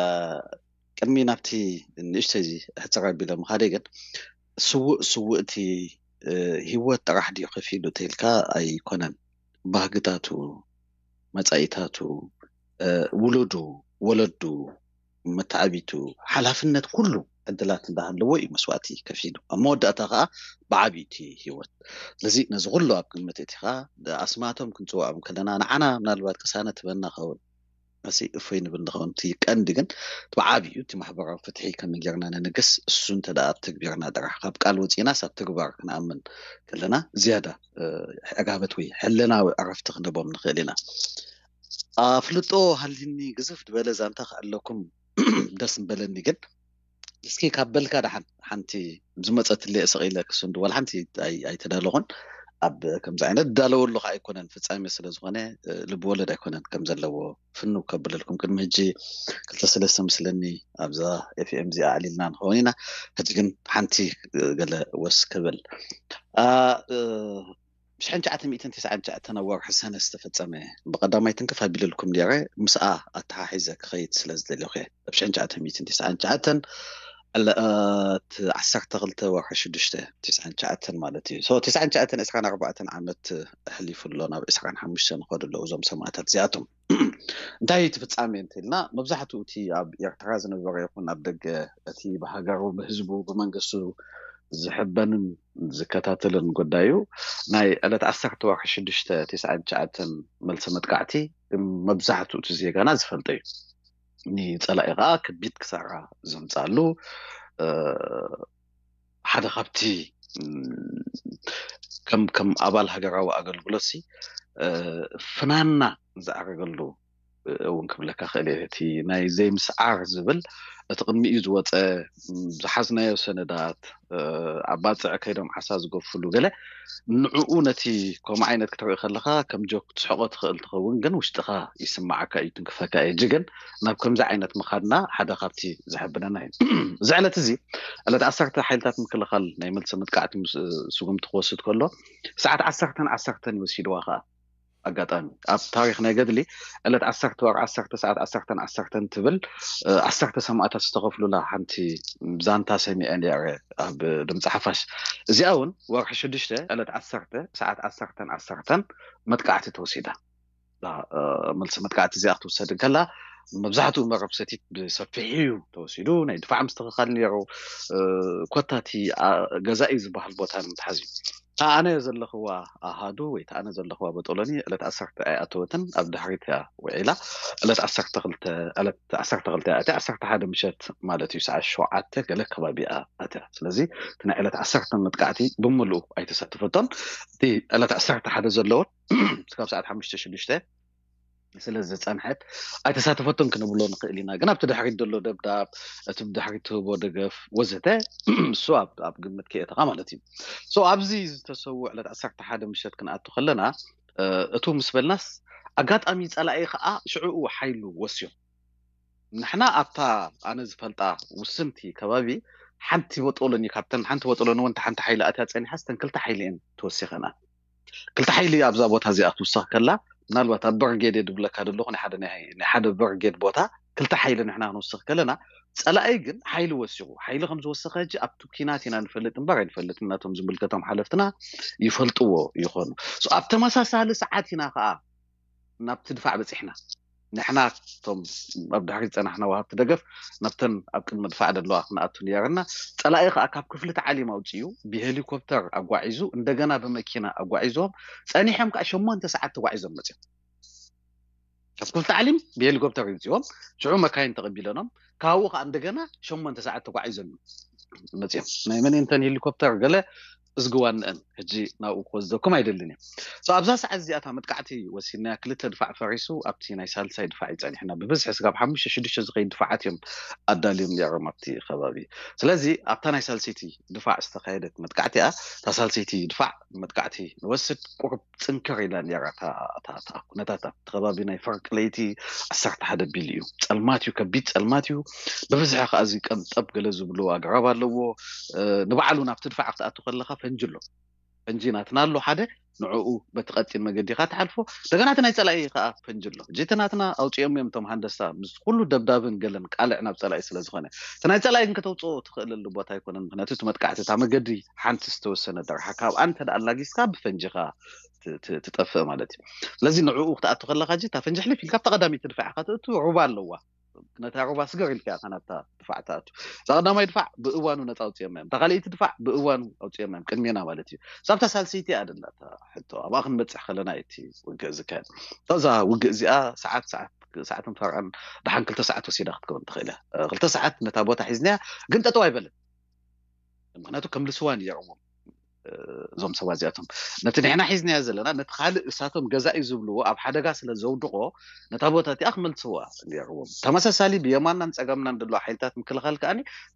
ቅድሚ ናብቲ ንእሽተይ እዚ ሕጽር ኣቢለ ምኻደይ ግን ስዉእ ስውእቲ፣ እ፣ ህይወት ጥራሕ ድዩ ከፊሉ ተኢልካ ኣይኮነን። ባህግታቱ፣ መጻኢታቱ፣ እ፣ ውሉዱ፣ ወለዱ፣ መተዓቢቱ፣ ሓላፍነት ኩሉ ዕድላት እንዳሃለዎ እዩ መስዋእቲ ከፊሉ። ኣብ መወዳእታ ከኣ ብዓቢኡ እቲ ህይወት። ስለዚ ነዚ ኩሉ ኣብ ግምት እቲኻ ኣስማቶም ክንጽውዖም ከለና ንዓና ምናልባት ቅሳነት ትበና ኸውን። መሲ እፎይ ንብል ንኸውን። እቲ ቀንዲ ግን እቲ ብዓቢኡ እቲ ማሕበራዊ ፍትሒ ከመይ ጌርና ንንግስ፣ እሱ እንተ ደኣ ኣብ ተግቢርና ጥራሕ፣ ካብ ቃል ወጺእናስ ኣብ ተግባር ክንኣምን ከለና ዝያዳ፣ እ፣ ዕጋበት ወይ ሕልናዊ ዕረፍቲ ክንህቦም ንኽእል ኢና። ኣፍልጦ ሃልይኒ ግዝፍ ዝበለ ዛንታ ክዕለኩም ደስ ምበለኒ፣ ግን እስኪ ካብ በልካ ደሓን ሓንቲ ዝመጸትለይ ስቕ ኢለ ክስንዱ፣ ዋላ ሓንቲ ኣይ-፣ ኣይተዳለኹን። ኣብ ከምዚ ዓይነት እዳለወሉ ከኣ ኣይኮነን፣ ፍጻሜ ስለ ዝኾነ፣ እ፣ ልብ ወለድ ኣይኮነን ከም ዘለዎ ፍንው ከብለልኩም። ቅድሚ ሕጂ ክልተ ሰለስተ ምስለኒ ኣብዛ ኤፍ ኤም እዚኣ ኣዕሊልና ንኸውን ኢና። ሕጂ ግን ሓንቲ፣ እ፣ ገለ ወስ ክብል። ኣ፣ እ፣ ብሽሕን ትሽዓተ ሚእትን ተስዓን ትሽዓተን ኣብ ወርሒ ሰነ ዝተፈጸመ፣ ብቐዳማይ ትንክፍ ኣቢለልኩም ነይረ፣ ምስኣ ኣተሓሒዘ ክኸይድ ስለ ዝደለኹ እየ። ኣብ ሽሕን ትሽዓተ ሚእትን ተስዓን ትሽዓተን ዕለት ዓሰርተ ክልተ ወርሒ ሽዱሽተ ተስዓን ትሽዓተን ማለት እዩ። ሶ፣ ተስዓን ትሽዓተን ዕስራን ኣርባዕተን ዓመት ኣሕሊፉ ኣሎ፣ ናብ ዕስራን ሓሙሽተን ይኸዱ ኣለዉ እዞም ሰማእታት እዚኣቶም። እንታይ እዩ እቲ ፍጻሜ እንተኢልና፣ መብዛሕትኡ እቲ ኣብ ኤርትራ ዝነበረ ይኹን ኣብ ደገ፣ እቲ ብሃገሩ፣ ብህዝቡ፣ ብመንግስቱ ዝሕበንን ዝከታተልን ጉዳዩ፣ ናይ ዕለት ዓሰርተ ወርሒ ሽዱሽተ ተስዓን ትሽዓተን መልሲ መጥቃዕቲ መብዛሕትኡ እቲ ዜጋና ዝፈልጦ እዩ። ንጸላኢ ከዓ ከቢድ ክሳራ ዘምጻሉ ሓደ ካብቲ ከም ከም ኣባል ሃገራዊ ኣገልግሎት ሲ ፍናና ዝኣረገሉ እውን ክብለካ ክእል እቲ ናይ ዘይምስዓር ዝብል እቲ ቅድሚኡ ዝወፀ ዝሓዝናዮ ሰነዳት ኣብ ባፅዕ ከይዶም ዓሳ ዝገፍሉ ገለ ንዕኡ ነቲ ከምኡ ዓይነት ክትርኢ ከለካ ከም ጆክ ትስሕቆ ትኽእል ትኸውን ግን ውሽጥካ ይስማዓካ እዩ ትንክፈካ እዩ ግን ናብ ከምዚ ዓይነት ምኻድና ሓደ ካብቲ ዘሕብነና እዩ እዚ ዕለት እዚ ዕለት ዓሰርተ ሓይልታት ምክልኻል ናይ መልሲ መጥቃዕቲ ስጉምቲ ክወስድ ከሎ ሰዓት ዓሰርተን ዓሰርተን ይወሲድዋ ከዓ ኣጋጣሚ ኣብ ታሪክ ናይ ገድሊ ዕለት ዓሰርተ ወር ዓሰርተ ሰዓት ዓሰርተን ዓሰርተን ትብል ዓሰርተ ሰማእታት ዝተኸፍሉላ ሓንቲ ዛንታ ሰሚዐ ነረ ኣብ ድምፂ ሓፋሽ እዚኣ እውን ወርሒ ሽዱሽተ ዕለት ዓሰርተ ሰዓት ዓሰርተን ዓሰርተን መጥቃዕቲ ተወሲዳ መልሲ መጥቃዕቲ እዚኣ ክትውሰድ እንከላ መብዛሕትኡ መረብ ሰቲት ብሰፊሑ እዩ ተወሲዱ ናይ ድፋዕ ምስትኽኻል ነይሩ ኮታቲ ገዛኢ ዝበሃል ቦታ ንምትሓዝ እዩ ኣነ ዘለኽዋ ኣሃዱ ወይ ኣነ ዘለኽዋ በጦሎኒ ዕለት ዓሰርተ ኣይኣተወትን ኣብ ድሕሪት እያ ውዒላ ዕለት ዓሰርተ ክልተ ዕለት ዓሰርተ ክልተ እያ ኣትያ ዓሰርተ ሓደ ምሸት ማለት እዩ ሰዓት ሸውዓተ ገለ ከባቢ እያ ኣትያ ስለዚ እቲ ናይ ዕለት ዓሰርተ መጥቃዕቲ ብምሉኡ ኣይተሳተፈቶን እቲ ዕለት ዓሰርተ ሓደ ዘለውን ስካብ ሰዓት ሓሙሽተ ሽዱሽተ ስለ ዝፀንሐት ኣይተሳተፈቶን ክንብሎ ንኽእል ኢና ግን ኣብቲ ድሕሪት ዘሎ ደብዳብ እቲ ብድሕሪት ትህቦ ደገፍ ወዘተ እሱ ኣብ ግምት ክእተኻ ማለት እዩ ሶ ኣብዚ ዝተሰው ዕለት ዓሰርተ ሓደ ምሸት ክንኣቱ ከለና እቱ ምስ በልናስ ኣጋጣሚ ፀላኢ ከዓ ሽዕኡ ሓይሉ ወስዮም ንሕና ኣብታ ኣነ ዝፈልጣ ውስንቲ ከባቢ ሓንቲ በጦሎኒ ካብተን ሓንቲ በጦሎኒ ወንቲ ሓንቲ ሓይሊ ኣትያ ፀኒሓ ስተን ክልተ ሓይሊ እየን ተወሲኸና ክልተ ሓይሊ ኣብዛ ቦታ እዚኣ ክትውሰኽ ከላ ምናልባት ኣብ በርጌድ እየ ድብለካ ዘለኹ ናይ ሓደ ናይ ሓደ በርጌድ ቦታ ክልተ ሓይሊ ንሕና ክንውስኽ ከለና ፀላኢ ግን ሓይሊ ወሲኹ ሓይሊ ከም ዝወሰኸ ሕጂ ኣብቲ ኪናት ኢና ንፈልጥ እምበር ኣይንፈልጥ እናቶም ዝምልከቶም ሓለፍትና ይፈልጥዎ ይኾኑ ኣብ ተመሳሳሊ ሰዓት ኢና ከዓ ናብቲ ድፋዕ በፂሕና ንሕና ቶም ኣብ ድሕሪ ዝፀናሕና ወሃብቲ ደገፍ ናብተን ኣብ ቅድሚ ድፋዕ ዘለዋ ክንኣቱ ነይርና ፀላኢ ከዓ ካብ ክፍሊ ተዓሊም ኣውፅኡ ብሄሊኮፕተር ኣጓዒዙ እንደገና ብመኪና ኣጓዒዞም ፀኒሖም ከዓ ሸሞንተ ሰዓት ተጓዒዞም መፅኦም ካብ ክፍሊ ተዓሊም ብሄሊኮፕተር ይውፅኦም ሽዑ መካይን ተቐቢለኖም ካብኡ ከዓ እንደገና ሸሞንተ ሰዓት ተጓዒዞም መፅኦም ናይ መን እንተን ሄሊኮፕተር ገለ እዝግዋንአን ሕጂ ናብኡ ክወስደኩም ኣይደልን እየ ኣብዛ ሰዓት እዚኣታ መጥቃዕቲ ወሲድናያ ክልተ ድፋዕ ፈሪሱ ኣብቲ ናይ ሳልሳይ ድፋዕ ይፀኒሕና ብብዝሒ ስጋብ ሓሙሽተ ሽዱሽተ ዝኸይድ ድፋዓት እዮም ኣዳልዮም ነይሮም ኣብቲ ከባቢ ስለዚ ኣብታ ናይ ሳልሰይቲ ድፋዕ ዝተካየደት መጥቃዕቲ እያ እታ ሳልሰይቲ ድፋዕ መጥቃዕቲ ንወስድ ቁሩብ ፅንክር ኢላ ነይራ ኩነታት ኣብቲ ከባቢ ናይ ፈርቂ ለይቲ ዓሰርተ ሓደ ቢል እዩ ፀልማት እዩ ከቢድ ፀልማት እዩ ብብዝሒ ከዓ እዚ ቀንጠብ ገለ ዝብሉ ኣግራብ ኣለዎ ንባዕሉ ናብቲ ድፋዕ ክትኣቱ ከለካ ፈንጂ ኣሎ ፈንጂ ናትና ኣሎ ሓደ ንዕኡ በቲ ቀጢን መገዲ ኢካ ትሓልፎ እንደገና እቲ ናይ ፀላኢ ከዓ ፈንጂ ኣሎ ሕጂ እቲ ናትና ኣውፅኦም እዮም እቶም ሃንደስታ ምስ ኩሉ ደብዳብን ገለን ቃልዕ ናብ ፀላኢ ስለ ዝኾነ እቲ ናይ ፀላኢ ግን ከተውፅኦ ትኽእለሉ ቦታ ኣይኮነን ምክንያቱ እቲ መጥቃዕቲ እታ መገዲ ሓንቲ ዝተወሰነ ደርሓ ካብኣ እንተ ኣላጊስካ ብፈንጂኻ ትጠፍእ ማለት እዩ ስለዚ ንዕኡ ክትኣቱ ከለካ ጂ እታ ፈንጂ ሕልፍ ኢልካ ኣብታ ቀዳሚት ትድፋዕ ኢካ ትእቱ ሩባ ኣለዋ ነታ ሩባ ስገር ኢልካ ኢኻ ናብታ ድፋዕ ትኣቱ እዛ ቀዳማይ ድፋዕ ብእዋኑ ነፃ ኣውፅኦም እዮም እታ ካልኣይቲ ድፋዕ ብእዋኑ ኣውፅኦም እዮም ቅድሜና ማለት እዩ ሳብታ ሳልሰይቲ እያ ደላ ሕቶ ኣብኣ ክንበፅሕ ከለና እቲ ውግእ ዝካየድ እዛ ውግእ እዚኣ ሰዓት ሰዓት ሰዓትን ፈርዕን ደሓን ክልተ ሰዓት ወሲዳ ክትከውን ትኽእል እያ ክልተ ሰዓት ነታ ቦታ ሒዝናያ ግን ጠጠው ኣይበለን ምክንያቱ ከምልስዋ ነይርዎም እዞም ሰባት እዚኣቶም ነቲ ንሕና ሒዝናዮ ዘለና ነቲ ካልእ እሳቶም ገዛኢ ዝብልዎ ኣብ ሓደጋ ስለ ዘውድቆ ነታ ቦታ እቲኣ ክመልስዋ ነይርዎም ተመሳሳሊ ብየማናን ፀገምናን ዘለዋ ሓይልታት ምክልኻል ከኣ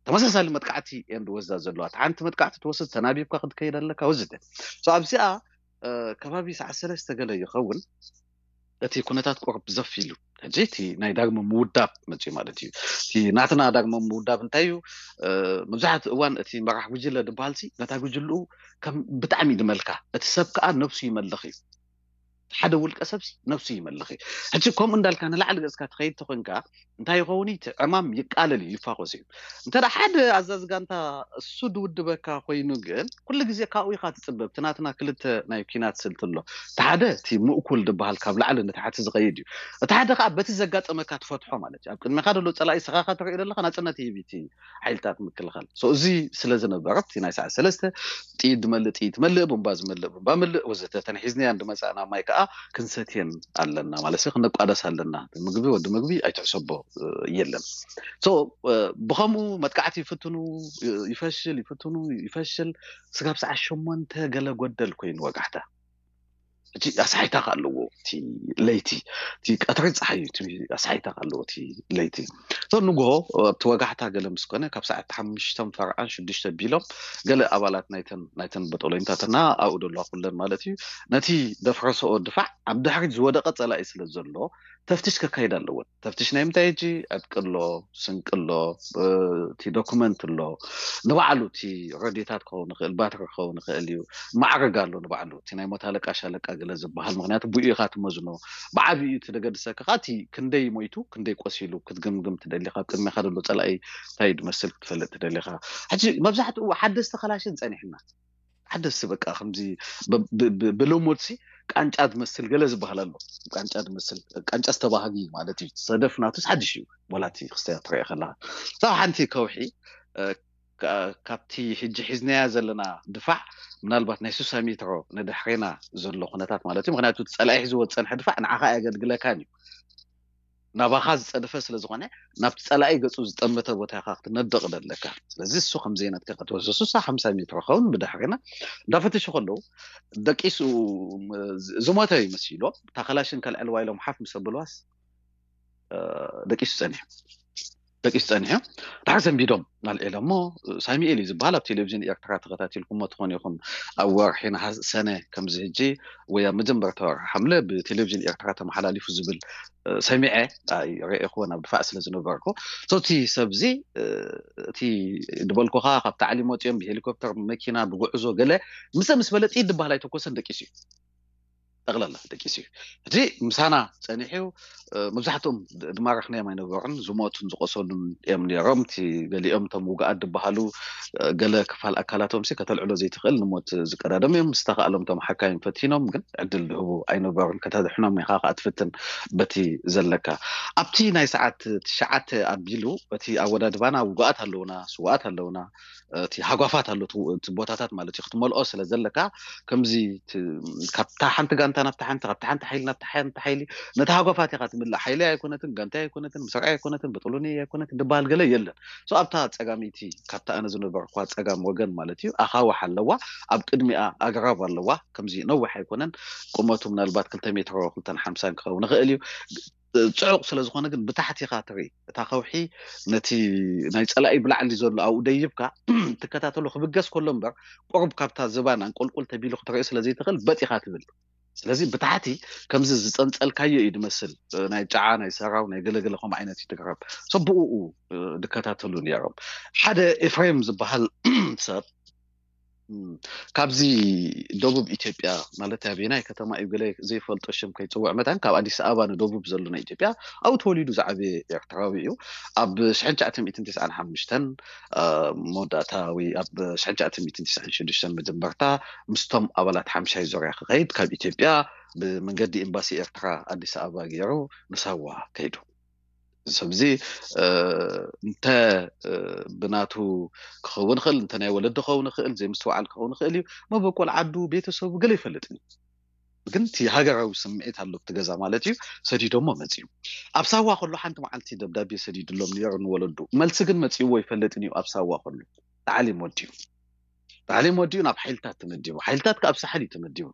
ተመሳሳሊ መጥቃዕቲ እየን ዝወስዳ ዘለዋ እቲ ሓንቲ መጥቃዕቲ ትወስድ ተናቢብካ ክትከይድ ኣለካ ወዘተ ኣብዚኣ ከባቢ ሰዓት ሰለስተ ገለ ይኸውን እቲ ኩነታት ቁርብ ዘፍ ኢሉ ሕጂ እቲ ናይ ዳግመ ምውዳብ መፅኡ ማለት እዩ እቲ ናትና ዳግመ ምውዳብ እንታይ እዩ መብዛሕትኡ እዋን እቲ መራሕ ጉጅለ ዝበሃል ሲ ነታ ጉጅልኡ ከም ብጣዕሚ ይድመልካ እቲ ሰብ ከዓ ነብሱ ይመልኽ እዩ ሓደ ውልቀ ሰብ ነብሱ ይመልኽ እዩ ሕጂ ከምኡ እንዳልካ ንላዕሊ ገፅካ ትኸይድ ተኮንካ እንታይ ይኸውን እቲ ዕማም ይቃለል እዩ ይፋኮስ እዩ እንተ ሓደ ኣዛዚ ጋንታ እሱ ድውድበካ ኮይኑ ግን ኩሉ ግዜ ካብኡ ኢካ ትፅበብ እቲ ናትና ክልተ ናይ ኪናት ስልቲ ኣሎ እቲ ሓደ እቲ ምእኩል ዝበሃል ካብ ላዕሊ ንታሕቲ ዝኸይድ እዩ እቲ ሓደ ከዓ በቲ ዘጋጠመካ ትፈትሖ ማለት እዩ ኣብ ቅድሚካ ዘሎ ፀላኢ ስኻካ ትርኢ ዘለካ ናፅነት ይህብ እቲ ሓይልታት ምክልኻል እዚ ስለ ዝነበረ እቲ ናይ ሰዓት ሰለስተ ጥይት ዝመልእ ጥይት መልእ ቡምባ ዝመልእ ቡምባ ምልእ ወዘተ ተንሒዝናያ እንድመፃእና ማይ ከዓ ክንሰትየን ኣለና ማለት ሲ ክነቋደስ ኣለና። ምግቢ ወዲ ምግቢ ኣይትሕሰቦ የለን። ብኸምኡ መጥቃዕቲ ይፍትኑ፣ ይፈሽል፣ ይፍትኑ፣ ይፈሽል። ስጋብ ሰዓት ሸሞንተ ገለ ጎደል ኮይኑ ወጋሕታ። እቲ ኣስሓይታ ከ ኣለዎ እቲ ለይቲ፣ እቲ ቀትሪ ፀሓይ እዩ፣ እቲ ኣስሓይታ ከ ኣለዎ እቲ ለይቲ። ንግሆ ኣብቲ ወጋሕታ ገለ ምስ ኮነ ካብ ሰዓት ሓሙሽተ ፈርዓን ሽዱሽተ ቢሎም ገለ ኣባላት ናይተን ናይተን በጦሎኝታትና ኣብኡ ደለዋ ኩለን ማለት እዩ፣ ነቲ ደፍረሰኦ ድፋዕ ኣብ ድሕሪት ዝወደቐ ፀላኢ ስለ ዘሎ ተፍትሽ ከካይድ ኣለዎን። ተፍትሽ ናይ ምንታይ ሕጂ? ዕጥቂ ኣሎ፣ ስንቂ ኣሎ፣ እቲ ዶኩመንት ኣሎ፣ ንባዕሉ እቲ ረድዮታት ክኸውን ይኽእል፣ ባትሪ ክኸውን ይኽእል እዩ። ማዕርግ ኣሎ ንባዕሉ፣ እቲ ናይ ሞት ኣለቃ ሻለቃ ገለ ዝበሃል። ምክንያቱ ብኡ ኢኻ ትመዝኖ። ብዓብዩ እቲ ደገድሰካ ከዓ እቲ ክንደይ ሞይቱ ክንደይ ቆሲሉ ክትግምግም ትደሊኻ። ኣብ ቅድሜኻ ዘሎ ፀላኢ እንታይ ድመስል ክትፈልጥ ትደሊኻ። ሕጂ መብዛሕትኡ ሓደስቲ ከላሽን ፀኒሕና ሓደስቲ በቃ ከምዚ ብልሙድሲ ቃንጫ ዝመስል ገለ ዝበሃል ኣሎ። ቃንጫ ዝመስል ቃንጫ ዝተባህጊ ማለት እዩ። ሰደፍ ናቱስ ሓድሽ እዩ። ወላቲ ክስተያ ትረአ ከለካ ካብ ሓንቲ ከውሒ ካብቲ ሕጂ ሒዝናያ ዘለና ድፋዕ ምናልባት ናይ ሱሳ ሜትሮ ንድሕሬና ዘሎ ኩነታት ማለት እዩ። ምክንያቱ ጸላኢ ሒዝዎ ዝፀንሐ ድፋዕ ንዓኻ ኣየገልግለካን እዩ። ናባኻ ዝፀደፈ ስለ ዝኾነ ናብቲ ፀላኢ ገፁ ዝጠመተ ቦታ ኢኻ ክትነድቕ ደለካ። ስለዚ እሱ ከም ዘይነትካ ክትወስድ ሱሳ ሓምሳ ሜትሮ ኸውን ብድሕሪና እንዳፈተሹ ከለዉ ደቂሱ ዝሞተ ይመሲሎ እታ ከላሽን ከልዕልዋ ኢሎም ሓፍ ምስ ኣብልዋስ ደቂሱ ጸኒሑ ደቂሱ ጸኒሑ ድሓር ሰንቢዶም ናልዒሎ እሞ ሳሚኤል እዩ ዝበሃል ኣብ ቴሌቪዥን ኤርትራ ተኸታቲልኩሞ ትኾኑ ኢኹም ኣብ ወርሒ ሰነ ከምዚ ህጂ ወይ ኣብ መጀመርታ ወርሒ ሓምለ ብቴሌቪዥን ኤርትራ ተመሓላሊፉ ዝብል ሰሚዐ ርእኹዎ ናብ ድፋዕ ስለ ዝነበርኩ እቲ ሰብዚ እቲ ዝበልኩኻ ካብ ታዕሊም ወፂኦም ብሄሊኮፕተር ብመኪና ብጉዕዞ ገለ ምሰ ምስ በለ ጥይት ዝበሃል ኣይተኮሰን ደቂሱ እዩ ጠቕላላ ደቂሱ እዩ እቲ ምሳና ፀኒሑ መብዛሕትኦም ድማረኽናዮም ኣይነበሩን ዝሞቱን ዝቆሰሉን እዮም ነይሮም እቲ ገሊኦም እቶም ውግኣት ዝበሃሉ ገለ ክፋል ኣካላቶም ሲ ከተልዕሎ ዘይትኽእል ንሞት ዝቀዳደሙ እዮም ዝተኻእሎም እቶም ሓካይም ፈቲኖም ግን ዕድል ዝህቡ ኣይነበሩን ከተድሕኖም ኢኻ ከዓ ትፍትን በቲ ዘለካ ኣብቲ ናይ ሰዓት ትሽዓተ ኣቢሉ እቲ ኣወዳድባና ውግኣት ኣለውና ስውኣት ኣለውና እቲ ሃጓፋት ኣሎ እቲ ቦታታት ማለት እዩ ክትመልኦ ስለ ዘለካ ከምዚ ካብታ ሓንቲ ጋንታ ናብታ ሓንቲ ካብታ ሓንቲ ሓይሊ ናብታ ሓንቲ ሓይሊ ነቲ ሃጓፋት ኢኻ ትምልእ ሓይሊ ኣይኮነትን ጋንታ ኣይኮነትን ምስራዕ ኣይኮነትን በጥሉኒ ኣይኮነትን ዝበሃል ገለ የለን ኣብታ ፀጋመይቲ ካብታ ኣነ ዝነበርኳ ፀጋም ወገን ማለት እዩ ኣኻውሕ ኣለዋ ኣብ ቅድሚኣ ኣግራብ ኣለዋ ከምዚ ነዊሕ ኣይኮነን ቁመቱ ምናልባት ክልተ ሜትሮ ክልተን ሓምሳን ክኸውን ይኽእል እዩ ፅዑቕ ስለ ዝኾነ ግን ብታሕቲ ኢኻ ትርኢ እታ ከውሒ ነቲ ናይ ፀላኢ ብላዕሊ ዘሎ ኣብኡ ደይብካ ትከታተሎ ክብገስ ከሎ እምበር ቁሩብ ካብታ ዝባን ኣንቆልቁል ተቢሉ ክትርኢ ስለ ዘይትኽእል በጥ ኢኻ ትብል ስለዚ ብታሕቲ ከምዚ ዝፀንፀልካዮ እዩ ዝመስል ናይ ጫዓ ናይ ሰራው ናይ ገለገለ ከም ዓይነት እዩ ትግረብ ሰብኡኡ ዝከታተሉ ነይሮም ሓደ ኤፍሬም ዝበሃል ሰብ ካብዚ ደቡብ ኢትዮጵያ ማለት ኣበየናይ ከተማ እዩ ገለ ዘይፈልጦ ሽም ከይፅውዕ መታን ካብ ኣዲስ ኣበባ ንደቡብ ዘሎ ናይ ኢትዮጵያ ኣብኡ ተወሊዱ ዝዓበየ ኤርትራዊ እዩ ኣብ ሽሕን ትሽዓተ ሚእትን ትስዓን ሓሙሽተን መወዳእታ ወይ ኣብ ሽሕን ትሽዓተ ሚእትን ትስዓን ሽዱሽተን መጀመርታ ምስቶም ኣባላት ሓምሻይ ዙርያ ክኸይድ ካብ ኢትዮጵያ ብመንገዲ ኤምባሲ ኤርትራ ኣዲስ ኣበባ ገይሩ ንሳዋ ከይዱ ሰብዚ እንተ ብናቱ ክኸውን ይኽእል እንተ ናይ ወለዲ ክኸውን ይኽእል ዘይምስትውዓል ክኸውን ይኽእል እዩ መበቆል ዓዱ ቤተሰቡ ገለ ይፈልጥን እዩ ግን እቲ ሃገራዊ ስምዒት ኣሎ እቲ ገዛ ማለት እዩ ሰዲዶሞ መፅዩ ኣብ ሳዋ ከሎ ሓንቲ መዓልቲ ደብዳቤ ሰዲድሎም ነይሩ ንወለዱ መልሲ ግን መፅይዎ ይፈልጥን እዩ ኣብ ሳዋ ከሎ ተዓሊም ወዲኡ ተዓሊም ወዲኡ ናብ ሓይልታት ተመዲቡ ሓይልታት ከ ኣብ ሳሕል እዩ ተመዲቡ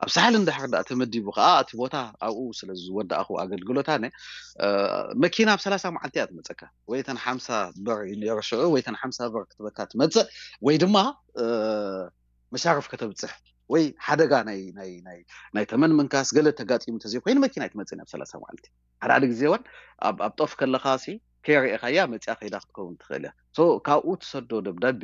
ኣብ ሳሕል እንድሕር ዳ ተመዲቡ ከዓ እቲ ቦታ ኣብኡ ስለ ዝወዳእኹ ኣገልግሎት ኣነ መኪና ኣብ ሰላሳ መዓልቲ እያ ትመፀካ ወይ ተን ሓምሳ ብር ነይሩ ሽዑ ወይ ተን ሓምሳ ብር ክትበካ ትመፅእ ወይ ድማ መሻርፍ ከተብፅሕ ወይ ሓደጋ ናይ ናይ ናይ ናይ ተመን ምንካስ ገለ ተጋጢሙ ተዘይኮይኑ መኪና ኣይትመፅእን ኣብ ሰላሳ መዓልቲ ሓደ ሓደ ግዜ እውን ኣብ ኣብ ጦፍ ከለኻ ሲ ከይረኤኻያ መፅያ ከይዳ ክትከውን ትኽእል እያ ካብኡ ትሰዶ ደብዳቤ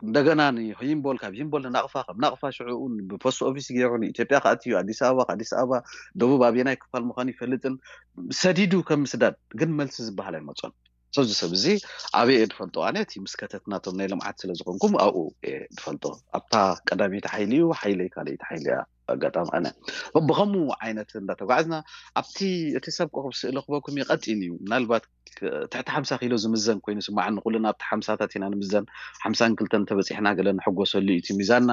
እንደገና ንሂምቦል ካብ ሂምቦል ንናቕፋ ካብ ናቕፋ ሽዑኡ ብፖስት ኦፊስ ገይሩ ንኢትዮጵያ ከኣትዩ ኣዲስ ኣበባ ከኣዲስ ኣበባ ደቡብ ኣበየናይ ክፋል ምዃኑ ይፈልጥን ሰዲዱ ከም ምስዳድ ግን መልሲ ዝበሃል ኣይመፆን ሰዚ ሰብ እዚ ኣበይ እየ ዝፈልጦ ኣነ እቲ ምስ ከተትናቶም ናይ ልምዓት ስለ ዝኾንኩም ኣብኡ እየ ዝፈልጦ ኣብታ ቀዳመይቲ ሓይሊ እዩ ሓይለይ ካልኣይቲ ሓይሊ እያ ኣጋጣሚ ኣነ ብኸምኡ ዓይነት እንዳተጓዕዝና ኣብቲ እቲ ሰብ ቁሩብ ስእሊ ክበኩም ይቐጢን እዩ ምናልባት ትሕቲ ሓምሳ ኪሎ ዝምዘን ኮይኑ ስማዓኒ ኩልና ኣብቲ ሓምሳታት ኢና ንምዘን ሓምሳን ክልተን ተበፂሕና ገለ ንሕጎሰሉ እዩ እቲ ሚዛንና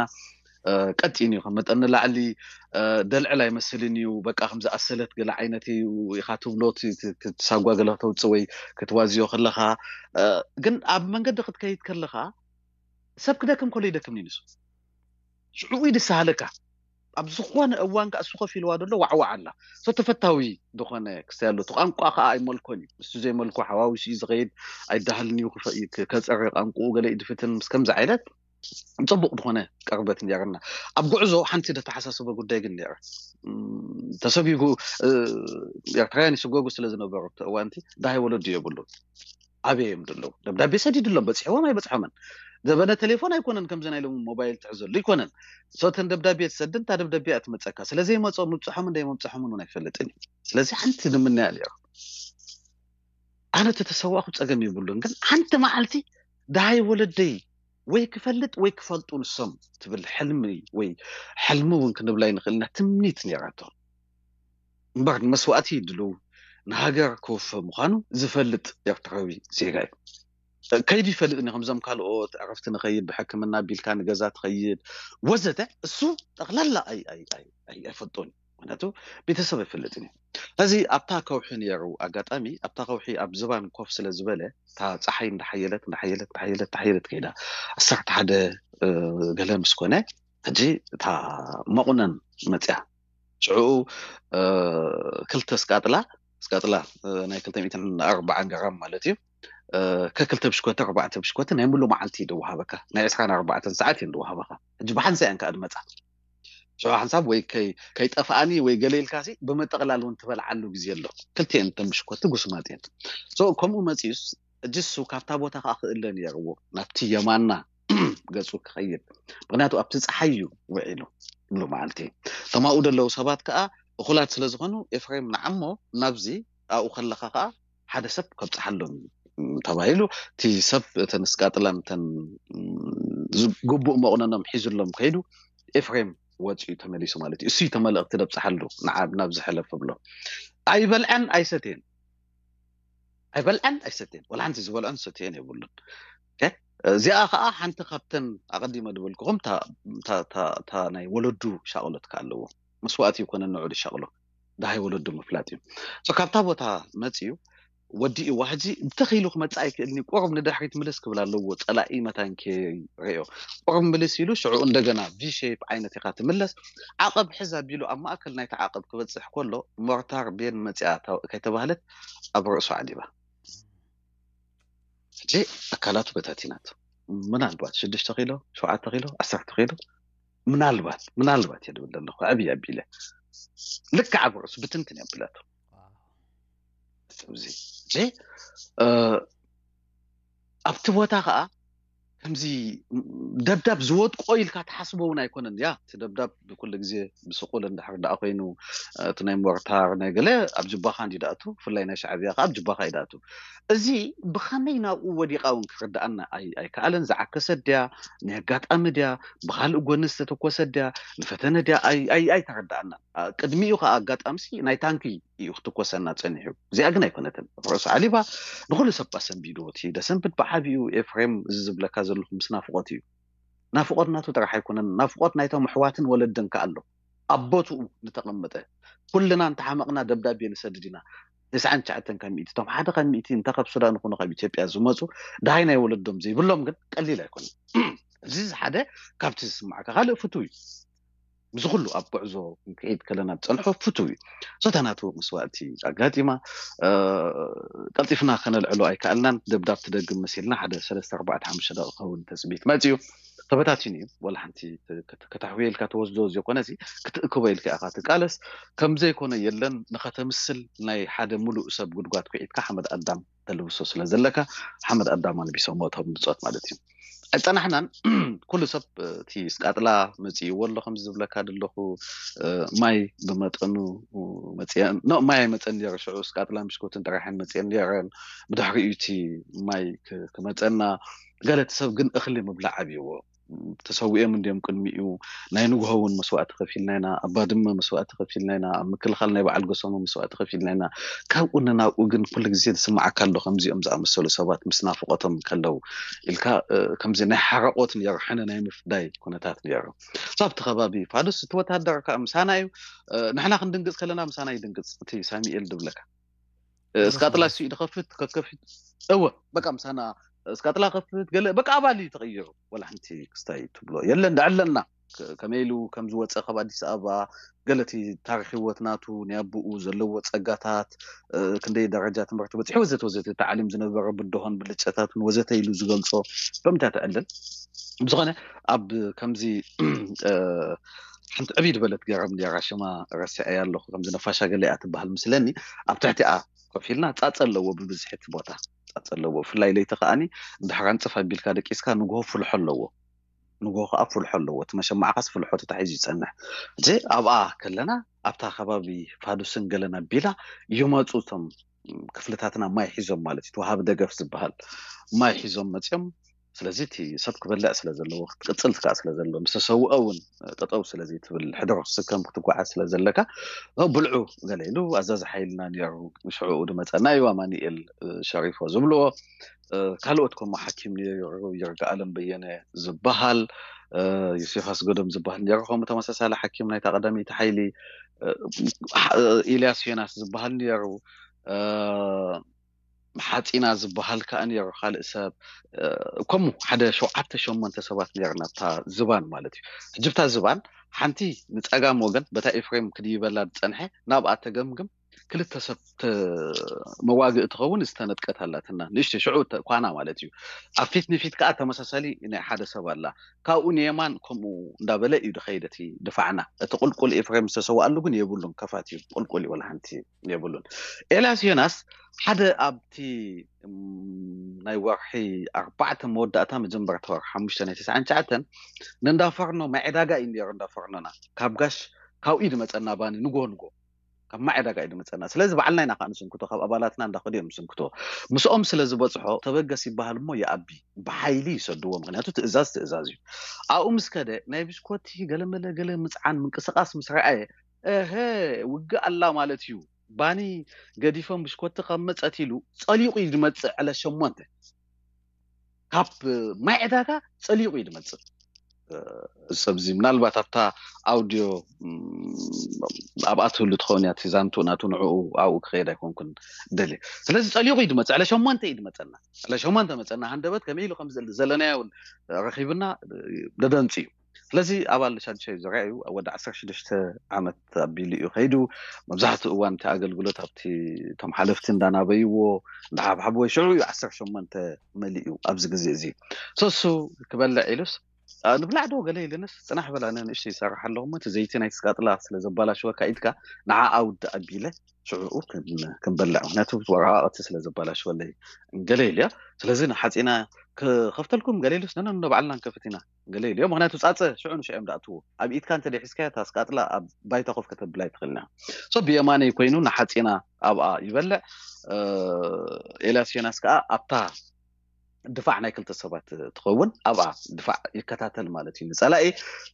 ቀጢን እዩ። ከም መጠን ንላዕሊ ደልዕል ኣይመስልን እዩ። በቃ ከም ዝኣሰለት ገለ ዓይነት እዩ ኢኻ ትብሎ። ትሳጓ ገለ ከተውፅእ ወይ ክትዋዝዮ ከለኻ ግን ኣብ መንገዲ ክትከይድ ከለኻ ሰብ ክደክም ከሎ ይደክም ንሱ ሽዑ እዩ ዝሰሃለካ። ኣብ ዝኾነ እዋን ከኣ እሱ ከፊልዋ ዘሎ ዋዕዋዕ ኣላ። ሶ ተፈታዊ ዝኾነ ክስተይ ኣሎ። እቲ ቋንቋ ከኣ ኣይመልኮን እዩ። እሱ ዘይመልኮ ሓዋዊሱ እዩ ዝኸይድ። ኣይዳሃልን እዩ ክፈ- ክ- ከጸሪ ቋንቋኡ ገለ ይድፍትን ምስ ከምዚ ዓይነት ጽቡቕ ዝኾነ ቅርበት ነርና። ኣብ ጉዕዞ ሓንቲ ዘተሓሳስበ ጉዳይ ግን ነረ። ተሰጊጉ ኤርትራውያን ይስጎጉ ስለ ዝነበሩ ኣብቲ እዋንቲ ዳሃይ ወለዱ የብሉን። ኣበይ እዮም ዘለዉ? ደብዳቤ ሰዲድሎም በፂሕዎም ኣይበፅሖምን። ዘበነ ቴሌፎን ኣይኮነን ከምዚ ናይ ሎሚ ሞባይል ትሕዘሉ ኣይኮነን። ሶተን ደብዳቤ ትሰድን እታ ደብዳቤ እያ ትመፀካ። ስለዘይመፀ ምብፅሖምን እንዳይመብፅሖምን እውን ኣይፈልጥን እዩ። ስለዚ ሓንቲ ንምንያ ነይሩ ኣነ ተተሰዋእኩ ፀገም ይብሉን። ግን ሓንቲ መዓልቲ ዳሃይ ወለደይ ወይ ክፈልጥ ወይ ክፈልጡ ንሶም ትብል ሕልሚ ወይ ሕልሚ እውን ክንብላ ይንኽእል ኢና። ትምኒት ነይራቶ እምበር ንመስዋእቲ ድልው ንሃገር ክወፈ ምዃኑ ዝፈልጥ ኤርትራዊ ዜጋ እዩ። ከይዱ ይፈልጥ ኒ ከምዞም ካልኦት ዕረፍቲ ንኸይድ ብሕክምና ቢልካ ንገዛ ትኸይድ ወዘተ እሱ ጠቕላላ ኣይፈልጦን እዩ። ምክንያቱ ቤተሰብ ኣይፈልጥን እዩ። እዚ ኣብታ ከውሒ ነይሩ ኣጋጣሚ ኣብታ ከውሒ ኣብ ዝባን ኮፍ ስለ ዝበለ እታ ፀሓይ እንዳሓየለት እንዳሓየለት እንዳሓየለት እንዳሓየለት ከይዳ ዓሰርተ ሓደ ገለ ምስ ኮነ ሕጂ እታ መቑነን መፅያ ሽዑ ክልተ ስቃጥላ ስቃጥላ ናይ ክልተ ሚእትን ኣርባዓን ግራም ማለት እዩ ከክልተ ብሽኮቲ ኣርባዕተ ብሽኮቲ ናይ ሙሉ መዓልቲ እዩ ድወሃበካ ናይ ዕስራን ኣርባዕተን ሰዓት እዩ ድወሃበካ ሕጂ ብሓንሳ እያን ከዓ ድመፃ ሽዑ ሓንሳብ ወይ ከይጠፍኣኒ ወይ ገለ ኢልካ ሲ ብምጥቕላል እውን ትበልዓሉ ግዜ ኣሎ ክልቲኤን እተን ብሽኮቲ ጉስማጥ እየን ከምኡ መፂኡስ እጅሱ ካብታ ቦታ ከዓ ክእለ ነይርዎ ናብቲ የማና ገፁ ክኸይድ ምክንያቱ ኣብቲ ፀሓይ እዩ ውዒሉ ሙሉ መዓልቲ እቶም ኣብኡ ዘለዉ ሰባት ከዓ እኹላት ስለ ዝኾኑ ኤፍሬም ንዓሞ ናብዚ ኣብኡ ከለኻ ከዓ ሓደ ሰብ ከብፅሓሎም እዩ ተባሂሉ እቲ ሰብ እተን ስቃጥላን እተን ግቡእ መቑነኖም ሒዙሎም ከይዱ ኤፍሬም ወፂኡ ተመሊሱ ማለት እዩ እሱ ተመለእክቲ ደብፅሓሉ ንዓብ ናብ ዝሕለፍ ብሎ ኣይበልዐን ኣይሰትየን ኣይበልዐን ኣይሰትየን ወላ ሓንቲ ዝበልዐን ሰትየን የብሉን እዚኣ ከዓ ሓንቲ ካብተን ኣቐዲመ ዝበልኩኹም እታ ናይ ወለዱ ሻቕሎት ከዓ ኣለዎ መስዋእቲ ይኮነ ንዑ ዝሻቕሎ ደሃይ ወለዱ ምፍላጥ እዩ ካብታ ቦታ መፅዩ ወዲእዋ ሕጂ ብተኽኢሉ ክመፅእ ኣይክእልኒ ቁሩብ ንድሕሪት ምልስ ክብል ኣለዎ ፀላኢ መታን ከይርእዮ ቁሩብ ምልስ ኢሉ ሽዑ እንደገና ቪ ሼፕ ዓይነት ኢኻ ትምለስ ዓቐብ ሕዝ ኣቢሉ ኣብ ማእከል ናይቲ ዓቐብ ክበፅሕ ከሎ ሞርታር ቤን መፅኣ ከይተባህለት ኣብ ርእሱ ዓሊባ ሕጂ ኣካላቱ በታቲናት ምናልባት ሽዱሽተ ኪሎ ሸውዓተ ኪሎ ዓሰርተ ኪሎ ምናልባት ምናልባት እየ ድብል ዘለኹ ዕብይ ኣቢለ ልክዕ ኣብ ርእሱ ብትንትን እየ ኣብለቱ እዚ ኣብቲ ቦታ ከዓ ከምዚ ደብዳብ ዝወድቆ ኢልካ ትሓስቦ እውን ኣይኮነን ያ እቲ ደብዳብ ብኩሉ ግዜ ብስቁል እንድሕር ደኣ ኮይኑ እቲ ናይ ሞርታር ናይ ገለ ኣብ ጅባኻ እንዲ ደኣቱ ብፍላይ ናይ ሻዕብያ ከዓ ኣብ ጅባኻ እዩ ደኣቱ እዚ ብኸመይ ናብኡ ወዲቓ እውን ክርድኣና ኣይከኣለን ዝዓከሰት ድያ ናይ ኣጋጣሚ ድያ ብካልእ ጎኒ ዝተተኮሰት ድያ ንፈተነ ድያ ኣይተረድኣና ቅድሚኡ ከዓ ኣጋጣምሲ ናይ ታንኪ እዩ ክትኮሰና ፀኒሑ እዚኣ ግን ኣይኮነትን ርእሱ ዓሊባ ንኩሉ ሰብ ኣሰንቢድዎ እቲ ደሰንብድ ብዓብኡ ኤፍሬም እዚ ዝብለካ ዘለኹ ምስ ናፍቆት እዩ ናፍቆት ናቱ ጥራሕ ኣይኮነን ናፍቆት ናይቶም ኣሕዋትን ወለድን ከኣ ኣሎ ኣብ ቦትኡ ዝተቐመጠ ኩልና እንተሓመቕና ደብዳቤ ንሰድድ ኢና ተስዓን ትሽዓተን ካብ ሚእቲ እቶም ሓደ ካብ ሚእቲ እንተ ካብ ሱዳን ይኹኑ ካብ ኢትዮጵያ ዝመፁ ድሃይ ናይ ወለዶም ዘይብሎም ግን ቀሊል ኣይኮነን እዚ ሓደ ካብቲ ዝስማዕካ ካልእ ፍቱው እዩ ምስ ኩሉ ኣብ ጉዕዞ ክንከይድ ከለና ዝፀንሖ ፍቱው እዩ ሶታ ናቱ መስዋእቲ ኣጋጢማ ቀልጢፍና ከነልዕሎ ኣይከኣልናን ደብዳብ ትደግም መሲልና ሓደ ሰለስተ ኣርባዕተ ሓሙሽተ ደቂ ክኸውን ተፅቢት መፅዩ ተበታቲኑ እዩ ወላ ሓንቲ ከተሕውየ ኢልካ ተወስዶ ዘይኮነ ክትእክቦ ኢልካ ኢኻ ትቃለስ ከምዘይኮነ የለን ንኸተምስል ናይ ሓደ ሙሉእ ሰብ ጉድጓድ ኩዒትካ ሓመድ ኣዳም ተልብሶ ስለ ዘለካ ሓመድ ኣዳም ኣልቢሶሞ እቶም ብፆት ማለት እዩ ኣይፀናሕናን ኩሉ ሰብ እቲ ስቃጥላ መፅእዎ ኣሎ ከም ዝብለካ ዘለኹ ማይ ብመጠኑ ማይ ኣይመፀን ነረ ሽዑ ስቃጥላ ምሽኮትን ጥራሕን መፅአን ነረን ብድሕሪኡ እቲ ማይ ክመፀና ገለቲ ሰብ ግን እኽሊ ምብላዕ ኣብይዎ ተሰዊኦም እንዲዮም ቅድሚኡ። ናይ ንግሆ እውን መስዋእቲ ከፊልና ኢና፣ ኣብ ባድመ መስዋእቲ ከፊልና ኢና፣ ኣብ ምክልኻል ናይ በዓል ጎሰሞ መስዋእቲ ከፊልና ኢና። ካብኡ ንናብኡ ግን ኩሉ ግዜ ዝስምዓካ ኣሎ ከምዚኦም ዝኣመሰሉ ሰባት ምስ ናፍቆቶም ከለዉ ኢልካ። ከምዚ ናይ ሓረቆት ነይሩ፣ ሕነ ናይ ምፍዳይ ኩነታት ነይሩ። ኣብቲ ከባቢ ፋዱስ እቲ ወታደር ከዓ ምሳና እዩ። ንሕና ክንድንግፅ ከለና ምሳና ይድንግፅ እቲ ሳሚኤል ድብለካ። እስካጥላ እሱ ይድኸፍት ከከፊት። እወ፣ በቃ ምሳና እስካጥላ ከፍት ገለ በቃ ኣባል እዩ ተቐይሩ። ወላ ሓንቲ ክስታይ ትብሎ የለን። ዳዕለና ከመይ ኢሉ ከም ዝወፀ ካብ ኣዲስ ኣበባ፣ ገለቲ ታሪክ ህይወት ናቱ፣ ናይ ኣቦኡ ዘለዎ ፀጋታት፣ ክንደይ ደረጃ ትምህርቲ በፂሑ፣ ወዘተ ወዘተ፣ ተዓሊም ዝነበረ ብድሆን ብልጨታትን ወዘተ ኢሉ ዝገልፆ ከምታ ትዕልል። ብዝኾነ ኣብ ከምዚ ሓንቲ ዕብይ ዝበለት ገረብ እንዲያ ሽማ ረሲዐያ ኣለኹ፣ ከምዚ ነፋሻ ገለ እያ ትበሃል ምስለኒ። ኣብ ትሕቲኣ ኮፍ ኢልና ፃፀ ኣለዎ፣ ብብዝሒ እቲ ቦታ ፃፀ ኣለዎ። ብፍላይ ለይቲ ከዓኒ እንድሕር ኣንፅፍ ኣቢልካ ደቂስካ ንግሆ ፍልሖ ኣለዎ። ንግሆ ከዓ ፍልሖ ኣለዎ። እቲ መሸማዕኻስ ፍልሖ ተታሒዙ ይፀንሕ። እዚ ኣብኣ ከለና ኣብታ ከባቢ ፋዱስን ገለን ኣቢላ ይመፁ እቶም ክፍልታትና ማይ ሒዞም ማለት እዩ። ወሃቢ ደገፍ ዝበሃል ማይ ሒዞም መፅዮም። ስለዚ እቲ ሰብ ክበልዕ ስለ ዘለዎ፣ ክትቅፅል ከዓ ስለ ዘለዎ፣ ምስ ተሰውኦ እውን ጠጠው ስለዚ ትብል፣ ሕድሮ ክትስከም ክትጓዓዝ ስለ ዘለካ፣ ብልዑ ገለ ኢሉ ኣዛዚ ሓይልና ነይሩ። ሽዕኡ ድመፀና እዩ ኣማኒኤል ሸሪፎ ዝብልዎ። ካልኦት ከምኡ ሓኪም ነይሩ፣ ይርጋ ኣለም በየነ ዝበሃል፣ ዮሴፍ ኣስገዶም ዝበሃል ነይሩ፣ ከምኡ ተመሳሳሊ ሓኪም ናይታ ቀዳመይቲ ሓይሊ፣ ኤልያስ ዮናስ ዝበሃል ነይሩ። ሓፂና ዝበሃል ከዓ ነይሩ፣ ካልእ ሰብ። ከምኡ ሓደ ሸውዓተ ሸሞንተ ሰባት ነይርና ኣብታ ዝባን ማለት እዩ። ሕጂ ብታ ዝባን ሓንቲ ንፀጋም ወገን በታ ኤፍሬም ክድይበላ ዝፀንሐ ናብኣ ተገምግም፣ ክልተ ሰብ መዋግእ ትኸውን ዝተነጥቀት ኣላትና፣ ንእሽተይ ሽዑ ኳና ማለት እዩ። ኣብ ፊት ንፊት ከዓ ተመሳሳሊ ናይ ሓደ ሰብ ኣላ። ካብኡ ንየማን ከምኡ እንዳበለ እዩ ድኸይድ እቲ ድፋዕና። እቲ ቁልቁል ኤፍሬም ዝተሰዋኣሉ ግን የብሉን፣ ከፋት እዩ፣ ቁልቁል እዩ፣ ወላ ሓንቲ የብሉን። ኤልያስ ዮናስ ሓደ ኣብቲ ናይ ወርሒ ኣርባዕተ መወዳእታ መጀመርታ ወርሒ ሓሙሽተ ናይ ተስዓን ትሽዓተን ንእንዳፈርኖ ማይ ዕዳጋ እዩ ነይሩ። እንዳፈርኖና ካብ ጋሽ ካብኡ እዩ ድመፀና፣ ባኒ ንጎ ንጎ ካብ ማይ ዕዳጋ እዩ ድመፀና። ስለዚ ባዕልና ኢና ከዓ ንስንክቶ፣ ካብ ኣባላትና እንዳኸዱ እዮም ዝስንክቶ። ምስኦም ስለ ዝበፅሖ ተበገስ ይበሃል እሞ ይኣቢ፣ ብሓይሊ ይሰድዎ። ምክንያቱ ትእዛዝ ትእዛዝ እዩ። ኣብኡ ምስ ከደ ናይ ብሽኮቲ ገለመለ ገለ ምፅዓን ምንቅስቃስ ምስ ረኣየ፣ እሀ ውግእ ኣላ ማለት እዩ፣ ባኒ ገዲፎም ብሽኮቲ ካብ መፀት ኢሉ ፀሊቑ እዩ ዝመፅእ። ዕለት ሸሞንተ ካብ ማይ ዕዳጋ ፀሊቑ እዩ ዝመፅእ። እዚ ሰብ እዚ ምናልባት ኣብታ ኣውዲዮ ኣብኣ ትህሉ ትኸውን እያ፣ እቲ ዛንቱ ናቱ ንዕኡ ኣብኡ ክኸይድ ኣይኮንኩን ደልየ። ስለዚ ፀሊቑ እዩ ዝመፅእ። ዕለ ሸሞንተ እዩ ዝመፀና። ዕለ ሸሞንተ መፀና። ሃንደበት ከመይ ኢሉ ከም ዘለናዮ እውን ረኺብና ደደንፂ እዩ። ስለዚ ኣባል ሻዱሻይ ዙርያ እዩ። ወዲ ዓሰርተ ሽዱሽተ ዓመት ኣቢሉ እዩ ከይዱ። መብዛሕትኡ እዋን እቲ ኣገልግሎት ኣብቲ እቶም ሓለፍቲ እንዳናበይዎ እንዳሓብሓብዎ ሽዑ እዩ ዓሰርተ ሸሞንተ መሊኡ ኣብዚ ግዜ እዚ። ሰሱ ክበልዕ ኢሉስ፣ "ኣ፣ ንብላዕ ዶ?" ገለ ኢልንስ፣ "ጽናሕ በል፣ ኣነ ንእሽተይ ይሰርሕ ኣለኹ እሞ እቲ ዘይቲ ናይ ስቃጥላ ስለ ዘባላሽወካ ኢድካ ንዓ ኣውድ ኣቢለ ሽዑኡ ክን-፣ ክንበልዕ፣ ምክንያቱ ወረቓቕቲ ስለ ዘባላሽወለይ" ገለ ኢልዮ። ስለዚ ንሓጺና ክኸፍተልኩም ገለ ኢሉስ፣ "ነነ ንባዕልና ንከፍት ኢና" ገለ ኢልዮ። ምክንያቱ ጻጸ ሽዑ ንሽዑ እዮም ዝኣትዎ። ኣብ ኢድካ እንተ ደይ ሒዝካዮ፣ እታ ስቃጥላ ኣብ ባይታ ኮፍ ከተብላ ኣይትኽእልን ኢኻ። ሶ ብየማነይ ኮይኑ ንሓጺና ኣብኣ ይበልዕ። እ፣ ኤልያስ ዮናስ ከኣ ኣብታ ድፋዕ ናይ ክልተ ሰባት ትኸውን፣ ኣብኣ ድፋዕ ይከታተል ማለት እዩ። ንጸላኢ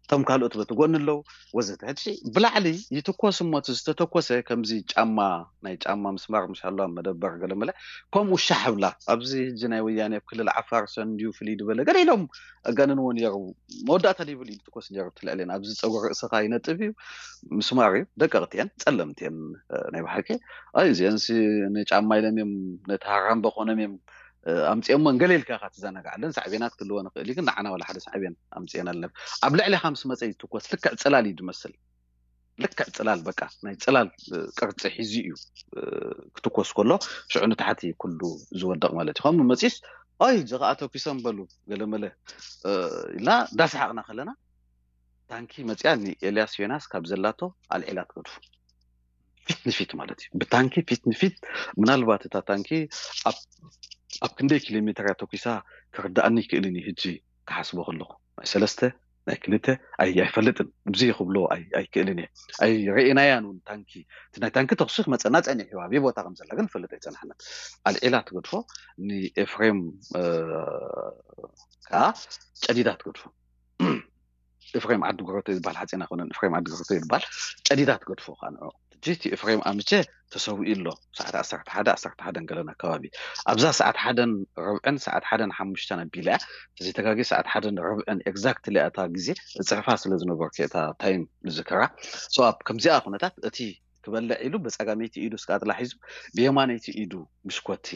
እቶም ካልኦት በቲ ጎኒ ኣለዉ ወዘተ። ሕጂ ብላዕሊ ይትኮስ እሞ እቲ ዝተተኮሰ ከምዚ ጫማ፣ ናይ ጫማ ምስማር ምሻሎ ኣብ መደበር ገለመለ ከምኡ ሻሕ ብላ። ኣብዚ ሕጂ ናይ ወያኔ ኣብ ክልል ዓፋር ሰንድዩ ፍልይ ዝበለ ገለ ኢሎም ኣጋንንዎ ነይሩ። መወዳእታ ዘይብሉ እዩ ዝትኮስ ነይሩ እቲ ልዕሌን። ኣብዚ ጸጉሪ ርእስኻ ይነጥብ እዩ፣ ምስማር እዩ። ደቀቕቲ እየን፣ ጸለምቲ እየን፣ እ፣ ናይ ብሓቂ። ኣይ፣ እዚአንሲ ንጫማ ኢሎም እዮም፣ ነቲ ሃራምበ ኮኖም እዮም፣ እ፣ ኣምጺኦሞን ገለ ኢልካ ኢኻ ትዘናጋዓለን። ሳዕቤናት ክህልወን ይኽእል እዩ፣ ግን ንዓና ዋላ ሓደ ሳዕቤን ኣምጺኤናለን። ኣብ ልዕሌኻ ምስ መጸ ይትኮስ፣ ልክዕ ጽላል እዩ ዝመስል። ልክዕ ጽላል፣ በቃ ናይ ጽላል፣ እ፣ ቅርጺ ሒዙ እዩ፣ እ፣ ክትኮስ ከሎ፣ ሽዑ ንታሕቲ ኩሉ ዝወድቕ ማለት እዩ። ከምኡ መጺስ፣ "ኣይ፣ እዚ ኸኣ ተኩሶም በሉ፣ ገለመለ፣ እ፣ ኢልና እንዳሰሓቕና ከለና፣ ታንኪ መጺኣ ንኤልያስ ዮናስ ካብ ዘላቶ ኣልዒላ ትገድፎ። ፊት ንፊት ማለት እዩ። ብታንኪ ፊት ንፊት፣ ምናልባት እታ ታንኪ ኣብ፣ ኣብ ክንደይ ኪሎ ሜትር እያ ተኩሳ ክርድኣኒ ይክእልን እዩ። ሕጂ ክሓስቦ ከለኹ፣ ናይ ሰለስተ፣ ናይ ክልተ፣ ኣይ-፣ ኣይፈልጥን። ብዙይ ክብሎ ኣይ-፣ ኣይክእልን እየ። ኣይረኤናያን እውን ታንኪ። እቲ ናይ ታንኪ ተኩሲ ክመጸና ጸኒሑ እዩ። ኣበይ ቦታ ከም ዘላ ግን ንፈልጥ ኣይጸናሕናን። ኣልዒላ ትገድፎ፣ ንኤፍሬም፣ እ፣ ከኣ ጨዲዳ ትገድፎ። እፍሬም ዓዲ ጉረቶ ይባል ሓፂን ኣይኮነን፣ እፍሬም ዓዲ ጉረቶ ይባል። ጨዲዳ ትገድፎ ከዓ ንዑ። ሕጂ እቲ እፍሬም ኣምቼ ተሰዊኡ ኣሎ፣ ሰዓት ዓሰርተ ሓደ፣ ዓሰርተ ሓደን ገለን ኣካባቢ። ኣብዛ ሰዓት ሓደን ርብዕን ሰዓት ሓደን ሓሙሽተን ኣቢላ እያ። ተዘይተጋጊ ሰዓት ሓደን ርብዕን ኤግዛክትሊ እታ ግዜ እፅሕፋ ስለ ዝነበርኩ እታ ታይም ዝዝከራ። So ኣብ ከምዚኣ ኩነታት እቲ ክበልዕ ኢሉ ብፀጋመይቲ ኢዱ ስቃጥላ ሒዙ ብየማነይቲ ኢዱ ምሽኮቲ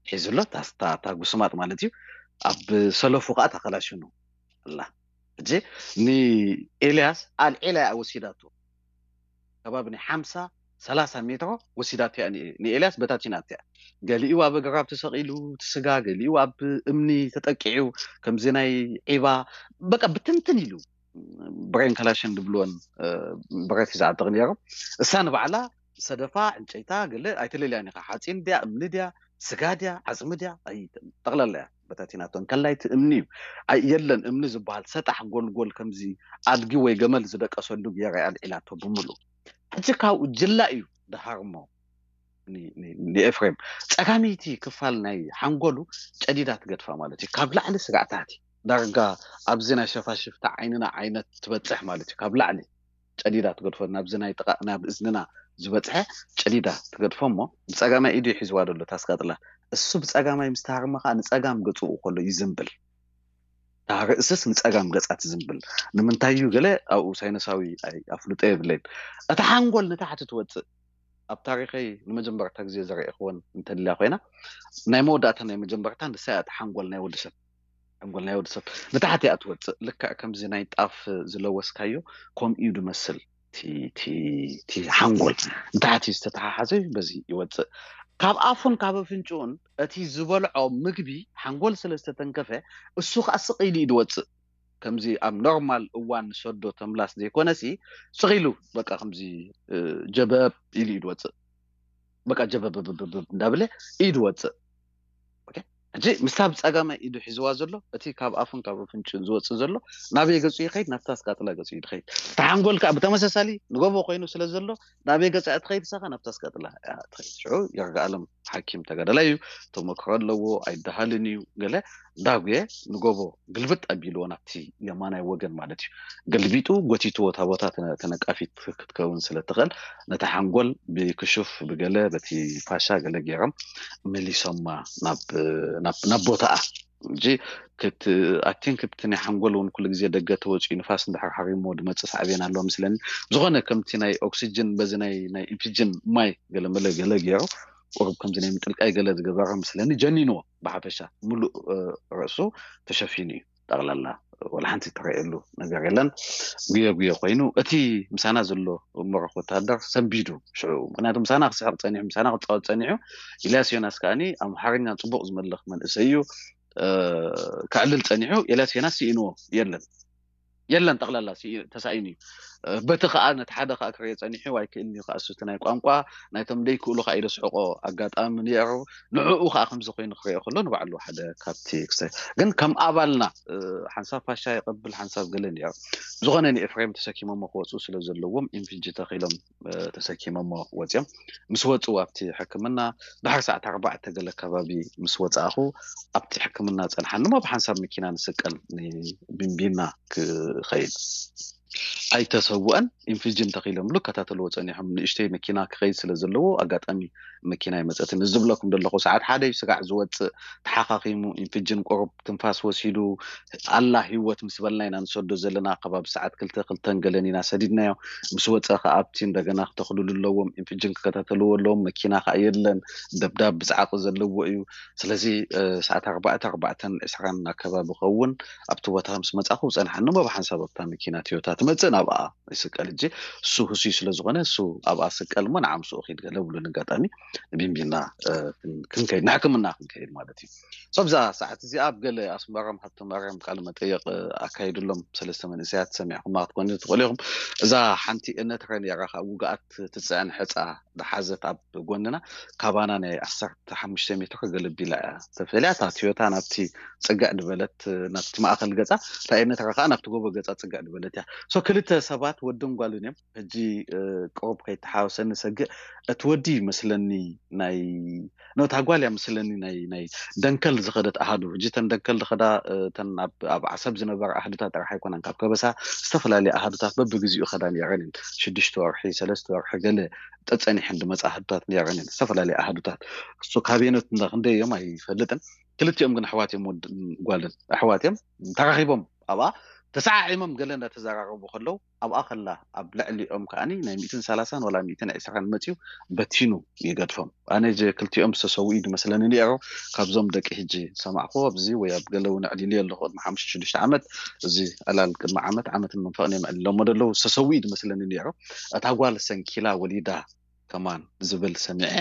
ሒዙ ኣሎ። እታ ጉስማጥ ማለት እዩ። ኣብ ሰለፉ ከዓ ተኸላሽኑ ኣላ። ሕጂ ንኤልያስ ኣልዒላ እያ ወሲዳቶ። ከባቢ ናይ ሓምሳ ሰላሳ ሜትሮ ወሲዳቶ እያ ንኤልያስ፣ በታቲናቶ እያ። ገሊኡ ኣብ ኣግራብ ተሰቒሉ እቲ ስጋ፣ ገሊኡ ኣብ እምኒ ተጠቂዑ ከምዚ ናይ ዒባ በቃ ብትንትን ኢሉ። ብሬን ካላሽን ድብልወን ብረት ሒዛ ዓጥቕ ነይሩ። እሳ ንባዕላ ሰደፋ ዕንጨይታ ገለ ኣይተለልያን ኢኻ። ሓፂን ድያ እምኒ ድያ ስጋ ድያ ዓፅሚ ድያ ጠቕላላ እያ በታቲናቶ። እንከላይ እቲ እምኒ እዩ። የለን እምኒ ዝበሃል ሰጣሕ ጎልጎል ከምዚ ኣድጊ ወይ ገመል ዝደቀሰሉ ገይራ እያ ኣልዒላቶ ብምሉ። ሕጂ ካብኡ ጅላ እዩ ድሃርሞ ንኤፍሬም። ፀጋመይቲ ክፋል ናይ ሓንጎሉ ጨዲዳ ትገድፋ ማለት እዩ። ካብ ላዕሊ ስጋዕ ታሕቲ ዳርጋ ኣብዚ ናይ ሸፋሽፍታ ዓይንና ዓይነት ትበፅሕ ማለት እዩ። ካብ ላዕሊ ጨዲዳ ትገድፎ ናብዚ ናይ ጥቓ ናብ እዝንና ዝበፅሐ ጨዲዳ ትገድፎ እሞ ብፀጋማይ ኢዱ ሒዝዋ ዘሎ ታስቀጥላ። እሱ ብፀጋማይ ምስ ተሃርመ ከዓ ንፀጋም ገፅኡ ከሎ ይዝንብል። እታ ርእስስ ንፀጋም ገፃ ትዝንብል። ንምንታይ እዩ ገለ ኣብኡ ሳይነሳዊ ኣፍልጦ የብለይን። እታ ሓንጎል ንታሕቲ ትወፅእ ኣብ ታሪኸይ ንመጀመርታ ግዜ ዘረእኽወን እንተልያ ኮይና ናይ መወዳእታ ናይ መጀመርታ ንሳ እያ። እታ ሓንጎል ናይ ወዲ ሰብ ሓንጎል ናይ ወዲ ሰብ ንታሕቲ እያ ትወፅእ። ልክዕ ከምዚ ናይ ጣፍ ዝለወስካዮ ከምኡ እዩ ድመስል። እቲ ሓንጎል ንታሕቲ ዝተተሓሓዘ በዚ ይወፅእ። ካብ ኣፉን ካብ ኣፍንጭኡን እቲ ዝበልዖ ምግቢ ሓንጎል ስለ ዝተተንከፈ እሱ ከዓ ስቕ ኢሉ እዩ ድወፅእ። ከምዚ ኣብ ኖርማል እዋን ንሰዶ ተምላስ ዘይኮነሲ ስቕ ኢሉ በቃ ከምዚ ጀበብ ኢሉ እዩ ድወፅእ። በቃ ጀበብ እንዳበለ እዩ ድወፅእ። ሕጂ ምስታ ብፀጋማይ ኢዱ ሒዝዋ ዘሎ እቲ ካብ ኣፉን ካብ ኣፍንጭኡን ዝወፅእ ዘሎ ናበይ ገፁ ይኸይድ? ናብታ ስቃጥላ ገፁ እዩ ድኸይድ። እቲ ሓንጎል ከዓ ብተመሳሳሊ ንጎቦ ኮይኑ ስለ ዘሎ ናበይ ገፃ እያ ትኸይድ? እሳኻ ናብታ ስቃጥላ እያ ትኸይድ። ሽዑ ይርጋኣለም ሓኪም ተጋዳላይ እዩ፣ ተመክሮ ኣለዎ፣ ኣይደሃልን እዩ። ገለ ዳጉየ ንጎቦ ግልብጥ ኣቢልዎ ናብቲ የማናይ ወገን ማለት እዩ ገልቢጡ ጎቲትዎ። እታ ቦታ ተነቃፊት ክትከውን ስለ ትኽእል ነታ ሓንጎል ብክሹፍ ብገለ በቲ ፋሻ ገለ ገይሮም መሊሶማ ናብ ቦታኣ። ሕጂ ኣቲንክ እቲ ናይ ሓንጎል እውን ኩሉ ግዜ ደገ ተወፂኡ ንፋስ እንድሕር ሃሪሞ ድመፅእ ሳዕቤን ኣለዎ ምስለኒ። ዝኾነ ከምቲ ናይ ኦክሲጅን በዚ ናይ ኢንፊጅን ማይ ገለመለ ገለ ገይሩ ቁሩብ ከምዚ ናይ ምጥልቃይ ገለ ዝገበረ ምስለኒ ጀኒንዎ። ብሓፈሻ ሙሉእ ርእሱ ተሸፊኑ እዩ። ጠቕላላ ወላ ሓንቲ ትረእየሉ ነገር የለን። ጉየ ጉየ ኮይኑ እቲ ምሳና ዘሎ መረኽ ወታደር ሰንቢዱ ሽዑ። ምክንያቱ ምሳና ክስሕቕ ፀኒሑ፣ ምሳና ክፃወት ፀኒሑ። ኢልያስ ዮናስ ከዓኒ ኣምሓርኛ ፅቡቕ ዝመልኽ መንእሰይ እዩ። ከዕልል ፀኒሑ። ኤልያስ ዮናስ ስኢንዎ የለን የለን ጠቕላላ ተሳኢኑ እዩ። በቲ ከዓ ነቲ ሓደ ከዓ ክርየ ፀኒሑ ኣይክእልን እዩ ከዓ እሱ እቲ ናይ ቋንቋ ናይቶም ደይክእሉ ከዓ ኢለ ስሕቆ ኣጋጣሚ ነይሩ። ንዕኡ ከዓ ከምዚ ኮይኑ ክርኦ ከሎ ንባዕሉ ሓደ ካብቲ ክስተ ግን ከም ኣባልና ሓንሳብ ፋሻ ይቐብል ሓንሳብ ገለ ነይሩ። ዝኾነ ንኤፍሬም ተሰኪሞሞ ክወፁ ስለ ዘለዎም ኢንፊጂ ተኺሎም ተሰኪሞሞ ወፂኦም ምስ ወፁ ኣብቲ ሕክምና ድሕሪ ሰዓት ኣርባዕተ ገለ ከባቢ ምስ ወፃእኹ ኣብቲ ሕክምና ፀንሓኒ እሞ ብሓንሳብ መኪና ንስቀል ንቢንቢና ክኸይድ ኣይተሰውአን። ኢንፊጅን ተኺሎም ብሉ ከታተልዎ ፀኒሖም። ንእሽተይ መኪና ክኸይድ ስለ ዘለዎ ኣጋጣሚ መኪና ይመፀት። እዚ ዝብለኩም ዘለኹ ሰዓት ሓደ እዩ ስጋዕ ዝወፅእ። ተሓኻኺሙ ኢንፊጅን ቁሩብ ትንፋስ ወሲዱ ኣላ ህይወት ምስ በልና ኢና ንሰዶ ዘለና። ከባቢ ሰዓት ክልተ ክልተን ገለን ኢና ሰዲድናዮ። ምስ ወፀ ከዓ ኣብቲ እንደገና ክተኽልሉ ኣለዎም። ኢንፊጅን ክከታተልዎ ኣለዎም። መኪና ከዓ የለን። ደብዳብ ብፃዕቂ ዘለዎ እዩ። ስለዚ ሰዓት ኣርባዕተ ኣርባዕተን ዕስራን ኣከባቢ ኸውን ኣብቲ ቦታ ምስ መፃኹ ፀንሓኒ እሞ ብሓንሳብ ኣብታ መኪና ቶዮታ ትመፅእ ናብኣ ይስቀል። እጂ እሱ ህሱይ ስለ ዝኾነ እሱ ኣብኣ ስቀል እሞ ንዓ ምስኡ ኺድ ገለ ብሉን ኣጋጣሚ ንቢንቢና ክንከይድ ንሕክምና ክንከይድ ማለት እዩ። ሶብዛ ሰዓት እዚኣ ኣብ ገለ ኣስመሮም ሃብተ ማርያም ቃለ መጠየቕ ኣካይድሎም ሰለስተ መንእሰያት ሰሚዕኹማ ክትኮኑ ትኽእሉ ኢኹም። እዛ ሓንቲ እነትረ ነይራ ካብ ውግኣት ትፅዕን ሕፃ ዝሓዘት ኣብ ጎንና ካባና ናይ ዓሰርተ ሓሙሽተ ሜትሮ ገለቢላ እያ ተፈልያ። እታ ቶዮታ ናብቲ ፅግዕ ድበለት ናብቲ ማእኸል ገፃ እታ እነትረ ከዓ ናብቲ ጎቦ ገፃ ፅግዕ ድበለት እያ። ሶ ክልተ ክልተ ሰባት ወድን ጓልን እዮም። ሕጂ ቅሩብ ከይተሓወሰኒ ሰግእ፣ እቲ ወዲ ይመስለኒ ናይ ነታ ጓል እያ መስለኒ ናይ ናይ ደንከል ዝኸደት ኣሃዱ። ሕጂ ተን ደንከል ዝኸዳ እተን ኣብ ዓሰብ ዝነበራ ኣሃዱታት ጥራሕ ኣይኮነን፣ ካብ ከበሳ ዝተፈላለየ ኣሃዱታት በብግዚኡ ኸዳ ነይረን እየን። ሽዱሽተ ወርሒ፣ ሰለስተ ወርሒ ገለ ጠፀኒሐን ዝመፃ ኣሃዱታት ነይረን እየን፣ ዝተፈላለየ ኣሃዱታት። እሱ ካቤኖት እንዳ ክንደይ እዮም ኣይፈልጥን። ክልቲኦም ግን ኣሕዋት እዮም፣ ወድን ጓልን ኣሕዋት እዮም። ተራኺቦም ኣብኣ ተሰዓዒሞም ገለ እንዳተዘራረቡ ከለዉ ኣብኣ ከላ ኣብ ልዕሊኦም ከዓኒ ናይ ሚእትን ሰላሳን ዋላ ሚእትን ዕስራን መፅዩ በቲኑ ይገድፎም። ኣነ ጀ ክልቲኦም ዝተሰውኡ እዩ ዝመስለኒ ነይሩ። ካብዞም ደቂ ሕጂ ሰማዕኹ ኣብዚ ወይ ኣብ ገለ እውን ኣዕሊሉ ኣለኹ ቅድሚ ሓሙሽተ ሽዱሽተ ዓመት፣ እዚ ዕላል ቅድሚ ዓመት ዓመትን መንፈቕን እዮም ኣዕሊሎሞ ዘለዉ። ዝተሰውኡ እዩ ዝመስለኒ ነይሩ። እታ ጓል ሰንኪላ ወሊዳ ከማን ዝብል ሰሚዐ።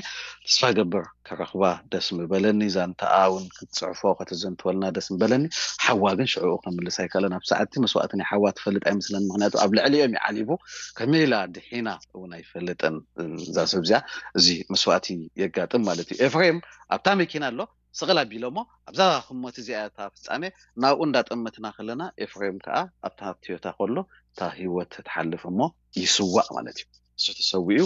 ተስፋ ገብር ከረኽባ ደስ ምበለኒ። ዛንታኣ እውን ክትፅሕፎ ከተዘንትወልና ደስ ምበለኒ። ሓዋ ግን ሽዕኡ ከምልስ ኣይከኣለን። ኣብ ሰዓቲ መስዋእቲ ናይ ሓዋ ትፈልጥ ኣይመስለን። ምክንያቱ ኣብ ልዕሊኦም ይዓሊቡ። ከመይ ኢላ ድሒና እውን ኣይፈልጥን እዛ ሰብ እዚኣ። እዚ መስዋእቲ የጋጥም ማለት እዩ። ኤፍሬም ኣብታ መኪና ኣሎ፣ ስቕል ኣቢሎሞ ኣብዛ ህሞት እዚኣ እታ ፍጻሜ ናብኡ እንዳጠመትና ከለና ኤፍሬም ከዓ ኣብታ ቶዮታ ከሎ እታ ህይወት ትሓልፍ እሞ ይስዋእ ማለት እዩ። እሱ ተሰዊኡ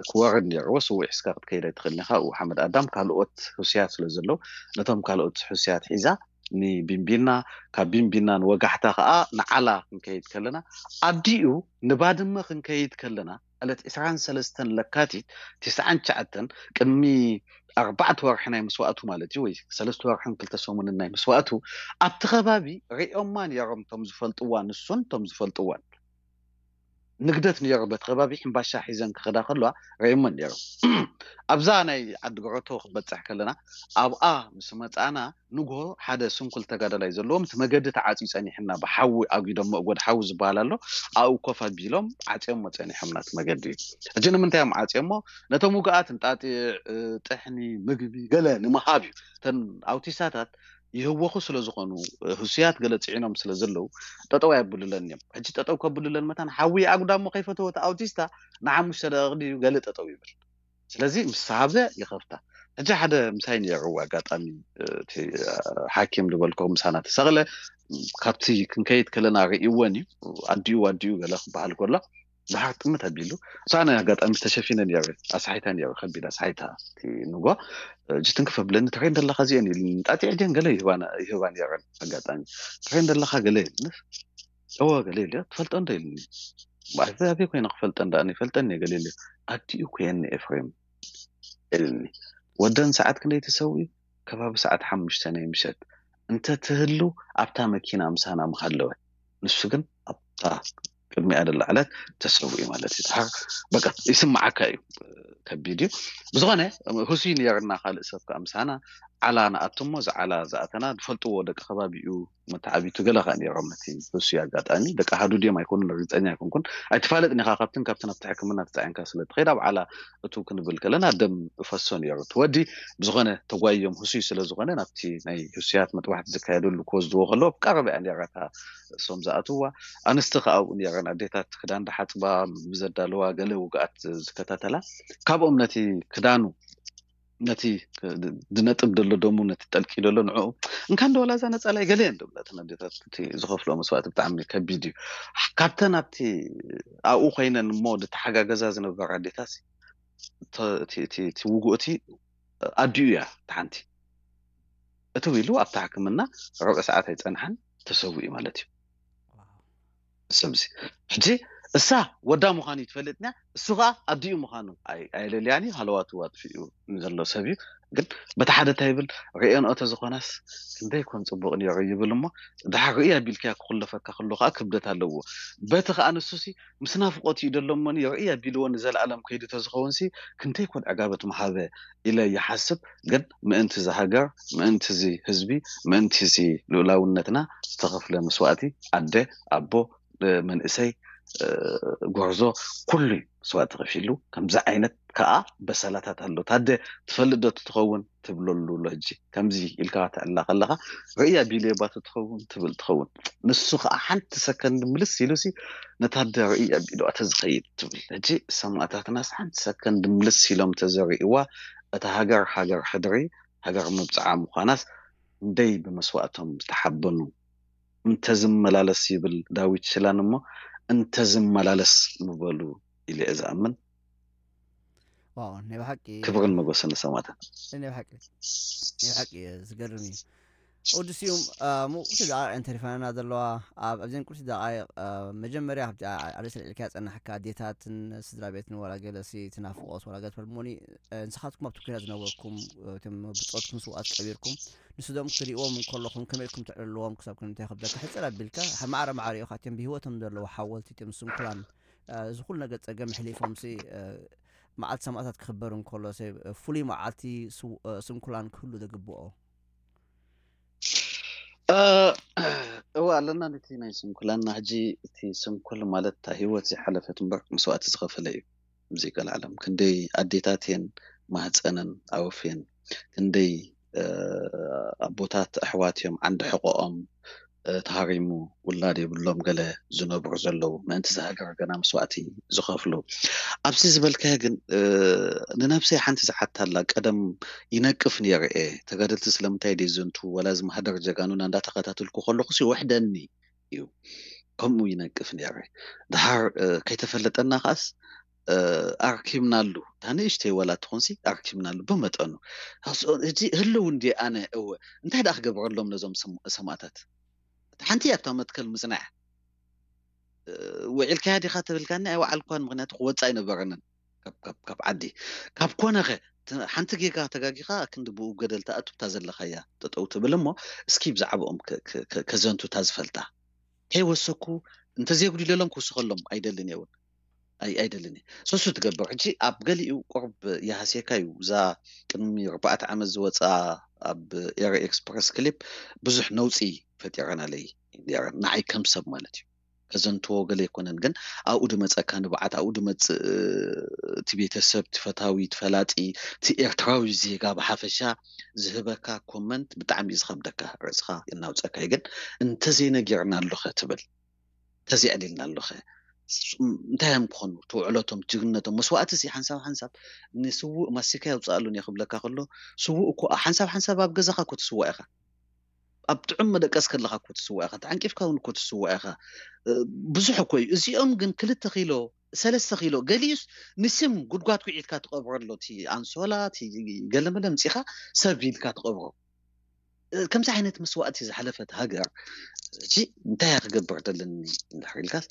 ክወርድ ነይርዎ። ስውእ ሒዝካ ክትከይድ ኣይትኽእልን ኢኻ። ኡ ሓመድ ኣዳም ካልኦት ህሱያት ስለ ዘለዉ ነቶም ካልኦት ህሱያት ሒዛ ንቢንቢና፣ ካብ ቢንቢና ንወጋሕታ ከዓ ንዓላ ክንከይድ ከለና ኣዲኡ ንባድመ ክንከይድ ከለና ዕለት ዕስራን ሰለስተን ለካቲት ትስዓን ትሽዓተን ቅድሚ ኣርባዕተ ወርሒ ናይ መስዋእቱ ማለት እዩ፣ ወይ ሰለስተ ወርሕን ክልተ ሰሙንን ናይ መስዋእቱ ኣብቲ ከባቢ ሪኦማ ነይሮም፣ ቶም ዝፈልጥዋ ንሱን ቶም ዝፈልጥዋን። ንግደት ነይሩ በቲ ከባቢ ሕምባሻ ሒዘን ክኸዳ ከለዋ ሪኦመን ነይሮም። ኣብዛ ናይ ዓዲ ገረቶ ክበፅሕ ከለና ኣብኣ ምስ መፃና ንግሆ ሓደ ስንኩል ተጋዳላይ ዘለዎም እቲ መገዲ ተዓፅዩ ፀኒሕና ብሓዊ ኣጒዶሞ፣ እጎድ ሓዊ ዝበሃል ኣሎ፣ ኣብኡ ኮፍ ኣቢሎም ዓፅዮሞ ፀኒሖም ናቲ መገዲ። ሕጂ ንምንታይ እዮም ዓፅዮሞ? ነቶም ውግኣት እንጣጢዕ፣ ጥሕኒ፣ ምግቢ ገለ ንምሃብ እዩ። እተን ኣውቲስታታት ይህወኹ ስለ ዝኾኑ፣ ህሱያት ገለ ፅዒኖም ስለ ዘለዉ ጠጠው ኣየብሉለን እዮም። ሕጂ ጠጠው ከብሉለን መታን ሓዊ ኣጉዳሞ ከይፈተወ እቲ ኣውቲስታ ንሓሙሽተ ደቂቕ ድዩ ገለ ጠጠው ይብል። ስለዚ ምስ ሃበ ይኸፍታ። ሕጂ ሓደ ምሳይ ነይሩ ኣጋጣሚ፣ እቲ ሓኪም ዝበልኮ ምሳና ተሰቕለ፣ ካብቲ ክንከይድ ከለና ርእይወን እዩ። ኣዲኡ ኣዲኡ ገለ ክበሃል ከሎ ድሓር ጥምት ኣቢሉ፣ እሳነ ኣጋጣሚ ተሸፊነ ነይሩ። ኣስሓይታ ነይሩ፣ ከቢድ ኣስሓይታ። እቲ ንጎ እጂ ትንክፍ ኣብለኒ፣ ትሬን ዘለኻ እዚአን ኢሉኒ። ጣጢዐ ድየን ገለ ይህባና ይህባ ነይረን። ኣጋጣሚ ትሬን ዘለኻ ገለ ኢሉኒ። እወ ገለ ኢሉ፣ ትፈልጦ እንዶ ኢሉኒ። ኣበይ ኮይነ ክፈልጠን ደኣ ይፈልጠን እየ ገለ ኢሉ። ኣዲኡ ኮይነ ኤፍሬም ኢሉኒ። ወደን ሰዓት ክንደይ ተሰዊኡ? ከባቢ ሰዓት ሓሙሽተ ናይ ምሸት እንተ ትህሉ ኣብታ መኪና ምሳና ምሃለወ። ንሱ ግን ኣብታ ቅድሚኣ ደላ ዕለት ተሰዊኡ ማለት እዩ። ድሓር በቃ ይስምዓካ እዩ፣ ከቢድ እዩ። ብዝኾነ ህሱይ ነይርና ካልእ ሰብ ከዓ ምሳና ዓላ ንኣቱ እሞ፣ እዚ ዓላ ዝኣተና ዝፈልጥዎ ደቂ ከባቢኡ መተዓቢቱ ገለ ከዓ ነይሮም። ነቲ ህሱይ ኣጋጣሚ ደቂ ኣሃዱ ድዮም ኣይኮኑን ርግፀኛ ኣይኮንኩን። ኣይትፋለጥን ኢኻ፣ ካብትን ካብትን ኣብቲ ሕክምና ተፃዒንካ ስለ ትኸይድ ኣብ ዓላ እቱ ክንብል ከለና ደም እፈሶ ነይሩ። እቲ ወዲ ብዝኾነ ተጓዮም ህሱይ ስለ ዝኾነ ናብቲ ናይ ህሱያት መጥባሕቲ ዝካየደሉ ክወስድዎ ከለዎ ኣብ ቀረባ እያ ነይራ እታ እሶም ዝኣትውዋ። ኣንስቲ ከኣ ኣብኡ ነይረን፣ ኣዴታት ክዳን ዝሓጽባ፣ ምግቢ ዘዳለዋ፣ ገለ ውግኣት ዝከታተላ። ካብኦም ነቲ ክዳኑ፣ ነቲ ዝነጥብ ዘሎ ደሙ፣ ነቲ ጠልቂ ዘሎ ንዕኡ እንካን ዶ ዋላ እዛ ነጻላይ ገለ እየን ዝብላ እተን ኣዴታት። እቲ ዝኸፍልኦ መስዋእቲ ብጣዕሚ ከቢድ እዩ። ካብተን ኣብቲ ኣብኡ ኮይነን እሞ ዝተሓጋገዛ ዝነበራ ኣዴታት ተ- እቲ እቲ- እቲ ውግእ እቲ ኣዲኡ እያ። እቲ ሓንቲ እቲ ኢሉ ኣብታ ሕክምና ርብዒ ሰዓት ኣይፀንሓን፣ ተሰዊኡ ማለት እዩ። ሰብዚ ሕጂ እሳ ወዳ ምዃኑ እዩ ትፈልጥና፣ እሱ ከዓ ኣዲኡ ምዃኑ ኣይ- ኣየለልያን እዩ። ሃለዋቱ ኣጥፊኡ ንዘሎ ሰብ እዩ። ግን በቲ ሓደ እንታይ ይብል፣ ርእየንኦ ተዝኾናስ ክንደይ ኮን ፅቡቕ ነይሩ ይብል እሞ፣ ድሓር ርእይ ኣቢልካያ ክኹለፈካ ከሎ ከዓ ክብደት ኣለዎ። በቲ ከዓ ንሱሲ ምስ ናፍቆት እዩ ደሎ እሞኒ ርእይ ኣቢልዎ ንዘለኣለም ከይዱ ተዝኸውን ሲ ክንደይ ኮን ዕጋበት ምሃበ ኢለ ይሓስብ። ግን ምእንቲ እዚ ሃገር፣ ምእንቲ እዚ ህዝቢ፣ ምእንቲ እዚ ልኡላውነትና ዝተኸፍለ መስዋእቲ ኣደ፣ ኣቦ፣ መንእሰይ፣ ጎርዞ፣ ኩሉ መስዋእቲ ከፊሉ። ከምዚ ዓይነት ከዓ በሰላታት ኣሎ። ታደ ትፈልጥ ዶ ትኸውን ትብለሉ ኣሎ። ሕጂ ከምዚ ኢልካ ትዕላ ከለኻ ርእይ ኣቢሉ እየ ባቱ ትኸውን ትብል ትኸውን። ንሱ ከዓ ሓንቲ ሰከንድ ምልስ ኢሉሲ ነታ ኣደ ርእይ ኣቢሉ ኣተ ዝኸይድ ትብል። ሕጂ ሰማእታትናስ ሓንቲ ሰከንድ ምልስ ኢሎም ተዘርእዋ እታ ሃገር ሃገር ሕድሪ ሃገር መብፅዓ ምዃናስ እንደይ ብመስዋእቶም ዝተሓበኑ እንተዝመላለስ ይብል ዳዊት ሽላን እሞ እንተዝመላለስ ምበሉ ኢለ እየ ዝኣምን። ዋው ናይ ብሓቂ ክብርን መጎሰን ንሰማዕታት። ናይ ብሓቂ ናይ ብሓቂ እዩ ዝገርም እዩ። ወዲ ስዩም ሙቁቲ ደቃይቅ እየን ተሪፋና ዘለዋ። ኣብ ኣብዘን ቁርቲ ደቃይቅ መጀመርያ ኣብቲ ኣርእስቲ ልዕልካ ያጸናሕካ ኣዴታትን ስድራ ቤትን ዋላ ገለሲ ትናፍቆት ዋላ ገለ ትፈልሞኒ ንስኻትኩም ኣብቲ ኩናት ዝነበርኩም እቶም ብጾትኩም ስውኣት ቀቢርኩም ንስዶም ክትሪእዎም እንከለኹም ከመይ ኢልኩም ትዕልልዎም ክሳብ ክንታይ ክብለካ ሕጽር ኣቢልካ ማዕረ ማዕረ ኢኻ እቶም ብህይወቶም ዘለዉ ሓወልቲ እቶም ስንኩላን እዚ ኩሉ ነገር ጸገም ሕሊፎም ሲ መዓልቲ ሰማእታት ክኽበር እንከሎ ሲ ፍሉይ መዓልቲ ስንኩላን ክህሉ ዝግብኦ እወ ኣለና ነቲ ናይ ስንኩላና ሕጂ እቲ ስንኩል ማለት እታ ህይወት ዝሓለፈት እምበር መስዋእቲ ዝኸፈለ እዩ። ሙዚቃ ለዓለም ክንደይ ኣዴታት እየን ማህፀነን ኣወፍየን ክንደይ ኣቦታት ኣሕዋት እዮም ዓንዲ ሕቆኦም ተሃሪሙ ውላድ የብሎም ገለ ዝነብሩ ዘለዉ ምእንቲ ዝሃገር ገና መስዋእቲ ዝኸፍሉ ኣብዚ ዝበልካዮ ግን ንነብሰይ ሓንቲ ዝሓታላ ቀደም ይነቅፍ ነይረ እየ ተጋደልቲ ስለምንታይ ደይ ዘንቱ ወላ ዝማህደር ጀጋኑና እንዳተኸታተልኩ ከለኹ ሲ ወሕደኒ እዩ ከምኡ ይነቅፍ ነይረ ድሃር ከይተፈለጠና ከኣስ ኣርኪብናሉ እታ ንእሽተይ ወላ ትኾንሲ ኣርኪብናሉ ብመጠኑ ሕጂ ህልው እንዲ ኣነ እወ እንታይ ደኣ ክገብረሎም ነዞም ሰማእታት እታ ሓንቲ እያ ኣብታ መትከል ምፅናዕ ውዒልካያ ዲኻ ተብልካኒ ኣይወዓልኳን ምክንያቱ ክወፅእ ኣይነበረንን ካብ ዓዲ ካብ ኮነኸ ሓንቲ ጌጋ ተጋጊኻ ክንዲ ብኡ ገደል ተኣቱ እታ ዘለኻያ ጠጠው ትብል እሞ እስኪ ብዛዕባኦም ከዘንቱ እታ ዝፈልጣ ከይወሰኩ እንተዘየጉዲለሎም ክውስኸሎም ኣይደልን እየ እውን ኣይደልን እየ ሰሱ ትገብር ሕጂ ኣብ ገሊኡ ቁርብ ይሃስየካ እዩ እዛ ቅድሚ ኣርባዕተ ዓመት ዝወፅኣ ኣብ ኤረ ኤክስፕረስ ክሊፕ ብዙሕ ነውፂ ፈጢረናለይ ንዓይ ከም ሰብ ማለት እዩ ከዘንትዎ ገለ ኣይኮነን ግን ኣብኡ ድመፀካ ንብዓት ኣብኡ ድመፅእ እቲ ቤተሰብ እቲ ፈታዊ እቲ ፈላጢ እቲ ኤርትራዊ ዜጋ ብሓፈሻ ዝህበካ ኮመንት ብጣዕሚ እዩ ዝኸብደካ ርእስኻ እናውፀካ እዩ ግን እንተዘይነጊርና ኣለኸ ትብል እንተዘይዕሊልና ኣለኸ እንታይ እዮም ክኾኑ ትውዕለቶም ጅግነቶም መስዋእቲ ሲ ሓንሳብ ሓንሳብ ንስውእ ማሲካ የውፅኣሉን እየ ክብለካ ከሎ ስውእ እኮ ሓንሳብ ሓንሳብ ኣብ ገዛኻ እኮ ትስዋእ ኢኻ ኣብ ጥዑም መደቀስ ከለኻ እኮ ትስዋእ ኢኻ ተዓንቂፍካ እውን እኮ ትስዋእ ኢኻ ብዙሕ እኮ እዩ እዚኦም ግን ክልተ ኪሎ ሰለስተ ኪሎ ገሊኡስ ንስም ጉድጓድ ኩዒትካ ትቐብረሎ እቲ ኣንሶላ እቲ ገለመለ ምፂኻ ሰብ ኢልካ ትቐብሮ ከምዚ ዓይነት መስዋእቲ ዝሓለፈት ሃገር ሕጂ እንታይ እያ ክገብር ዘለኒ እንድሕር ኢልካስ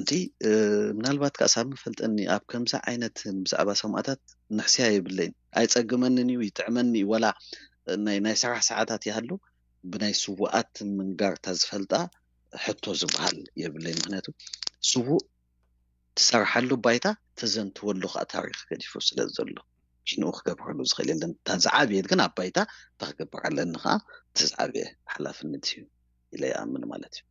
እቲ ምናልባት ከኣ ሳብ መፈልጠኒ ኣብ ከምዚ ዓይነት ብዛዕባ ሰማእታት ንሕስያ የብለይን ኣይፀግመንን እዩ ይጥዕመኒ እዩ ወላ ናይ ናይ ስራሕ ሰዓታት ይሃሉ ብናይ ስውኣት ምንጋርታ ዝፈልጣ ሕቶ ዝበሃል የብለይ ምክንያቱ ስዉእ ትሰርሓሉ ባይታ ተዘንትወሉ ከዓ ታሪክ ገዲፉ ስለ ዘሎ ሽንኡ ክገብረሉ ዝኽእል የለን እታ ዝዓብየት ግን ኣብ ባይታ እታ ክገብር ኣለኒ ከዓ እቲ ዝዓብየ ሓላፍነት እዩ ኢለ ይኣምን ማለት እዩ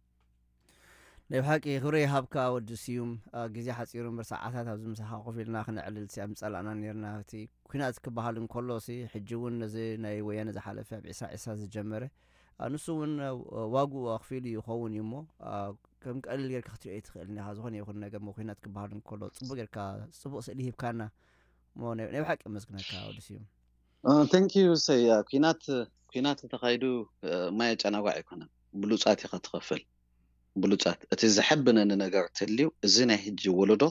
ናይ ብሓቂ ክብሪ ይሃብካ ወዲ ስዩም ግዜ ሓፂሩ እምበር ሰዓታት ኣብዚ ምሳኻ ኮፍ ኢልና ክነዕልል ሲ ምፀላእና ነርና እቲ ኩናት ክበሃል እንከሎ ሲ ሕጂ እውን ነዚ ናይ ወያነ ዝሓለፈ ኣብ ዒስራ ዒስራ ዝጀመረ ንሱ እውን ዋግኡ ኣኽፊሉ ይኸውን እዩ እሞ ከም ቀሊል ጌርካ ክትሪኦ ኣይትኽእልን ኢኻ ዝኾነ ይኹን ነገር ሞ ኩናት ክበሃል እንከሎ ፅቡቅ ጌርካ ፅቡቅ ስእሊ ሂብካና እሞ ናይ ብሓቂ መስግነካ ወዲ ስዩም thank you ሰያ ኩናት ኩናት ተኻይዱ ማየ ጨናጓዕ ኣይኮነን ብሉፃት ኢኻ ትኸፍል ብሉፃት እቲ ዘሐብነኒ ነገር ተልዩ እዚ ናይ ሕጂ ወለዶ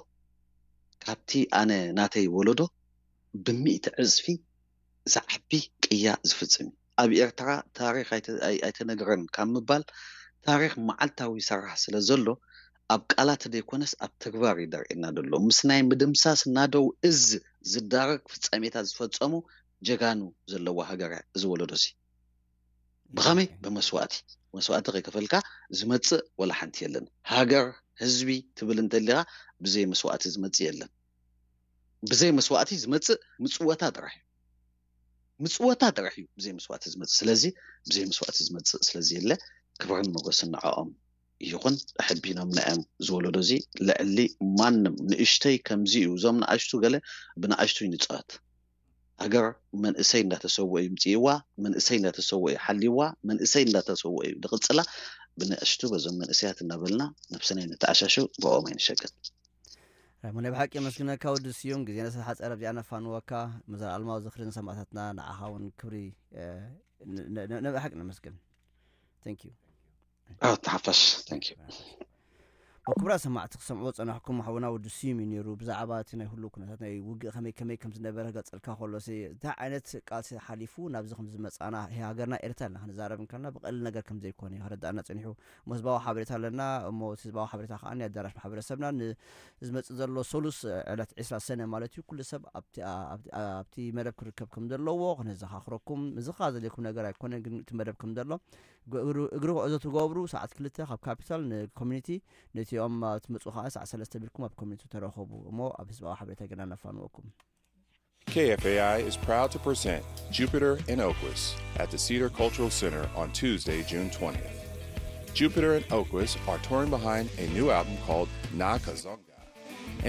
ካብቲ ኣነ ናተይ ወለዶ ብሚእቲ ዕፅፊ ዝዓቢ ቅያ ዝፍፅም እዩ ኣብ ኤርትራ ታሪክ ኣይተነግረን ካብ ምባል ታሪክ መዓልታዊ ይሰራሕ ስለ ዘሎ ኣብ ቃላት ዘይኮነስ ኣብ ተግባር እዩ ደርእየና ዘሎ ምስ ናይ ምድምሳስ ናደው እዝ ዝዳረግ ፍፃሜታት ዝፈፀሙ ጀጋኑ ዘለዋ ሃገር እያ እዚ ወለዶ እዚ ብኸመይ ብመስዋእቲ መስዋእቲ ከይከፈልካ ዝመፅእ ወላ ሓንቲ የለን ሃገር ህዝቢ ትብል እንተሊኻ ብዘይ መስዋእቲ ዝመፅእ የለን ብዘይ መስዋእቲ ዝመፅእ ምፅወታ ጥራሕ እዩ ምፅወታ ጥራሕ እዩ ብዘይ መስዋእቲ ዝመፅእ ስለዚ ብዘይ መስዋእቲ ዝመፅእ ስለዚ የለ ክብርን መጎስን ንዕኦም ይኹን ኣሕቢኖም ንዕም ዝወለዶ እዚ ልዕሊ ማንም ንእሽተይ ከምዚ እዩ እዞም ንኣሽቱ ገለ ብንኣሽቱ ይንፅዋት ሃገር መንእሰይ እንዳተሰወ እዩ ምፅእዋ መንእሰይ እንዳተሰወ እዩ ሓልይዋ መንእሰይ እንዳተሰወ እዩ ዝቕፅላ ብንእሽቱ በዞም መንእሰያት እናበልና ነብስና ይንተዓሻሽው ብኦም ኣይንሸገር ራይሞ ናይ ብሓቂ የመስግነካ ወዲ ስዩም ግዜና ስለ ሓፀረ ኣብዚኣ ነፋንወካ መዘለኣለማዊ ዝኽሪ ንሰማእታትና ንዓኻ እውን ክብሪ ንብሓቂ ነመስግን thank you ተሓፋሽ thank you ክቡራት ሰማዕቲ ክሰምዑ ዝጸናሕኩም ሓውና ወዲ ስዩም እዩ ነይሩ። ብዛዕባ እቲ ናይ ህሉው ኩነታት ናይ ውግእ ከመይ ከመይ ከም ዝነበረ ክገልጸልካ ከሎ፣ ሲ-፣ እንታይ ዓይነት ቃልሲ ሓሊፉ ናብዚ ከም ዝመጻና፣ ይሄ ሃገርና ኤርትራ ኢልና ክንዛረብ እንከለና ብቐሊል ነገር ከም ዘይኮነ እዩ ከረዳእና ጸኒሑ። እሞ ህዝባዊ ሓበሬታ ኣለና። እሞ እቲ ህዝባዊ ሓበሬታ ከኣ ናይ ኣዳራሽ ማሕበረሰብና ን-፣ ዝመጽእ ዘሎ ሰሉስ ዕለት ዕስራ ሰነ ማለት እዩ። ኩሉ ሰብ ኣብቲ፣ ኣብቲ፣ ኣብቲ መደብ ክርከብ ከም ዘለዎ ክነዘኻኽረኩም። ምዝኻ ዘድልየኩም ነገር ኣይኮነን፣ ግን እቲ መደብ ከም ዘሎ እግሪ፣ እግሪ ጉዕዞ ትገብሩ ሰዓት ክልተ ካብ ካፒታል ንኮሚኒቲ ነቲኦም ትመጹ ከኣ ሰዓት ሰለስተ ቢልኩም ኣብ ኮሚኒቲ ተረኸቡ እሞ ኣብ ህዝባዊ ሓበሬታ ገና ነፋንወኩም። K F A I is proud to present Jupiter and Oquist at the Cedar Cultural Center on Tuesday, June twentieth. Jupiter and Oquist are touring behind a new album called Na Kazonga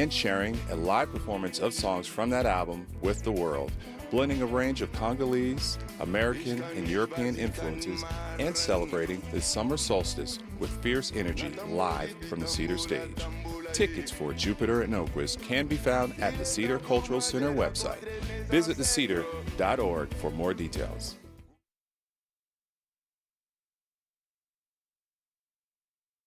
and sharing a live performance of songs from that album with the world, blending a range of Congolese, American, and European influences and celebrating the summer solstice with fierce energy live from the Cedar stage. Tickets for Jupiter and Oquist can be found at the Cedar Cultural Center website. Visit the cedar dot org for more details.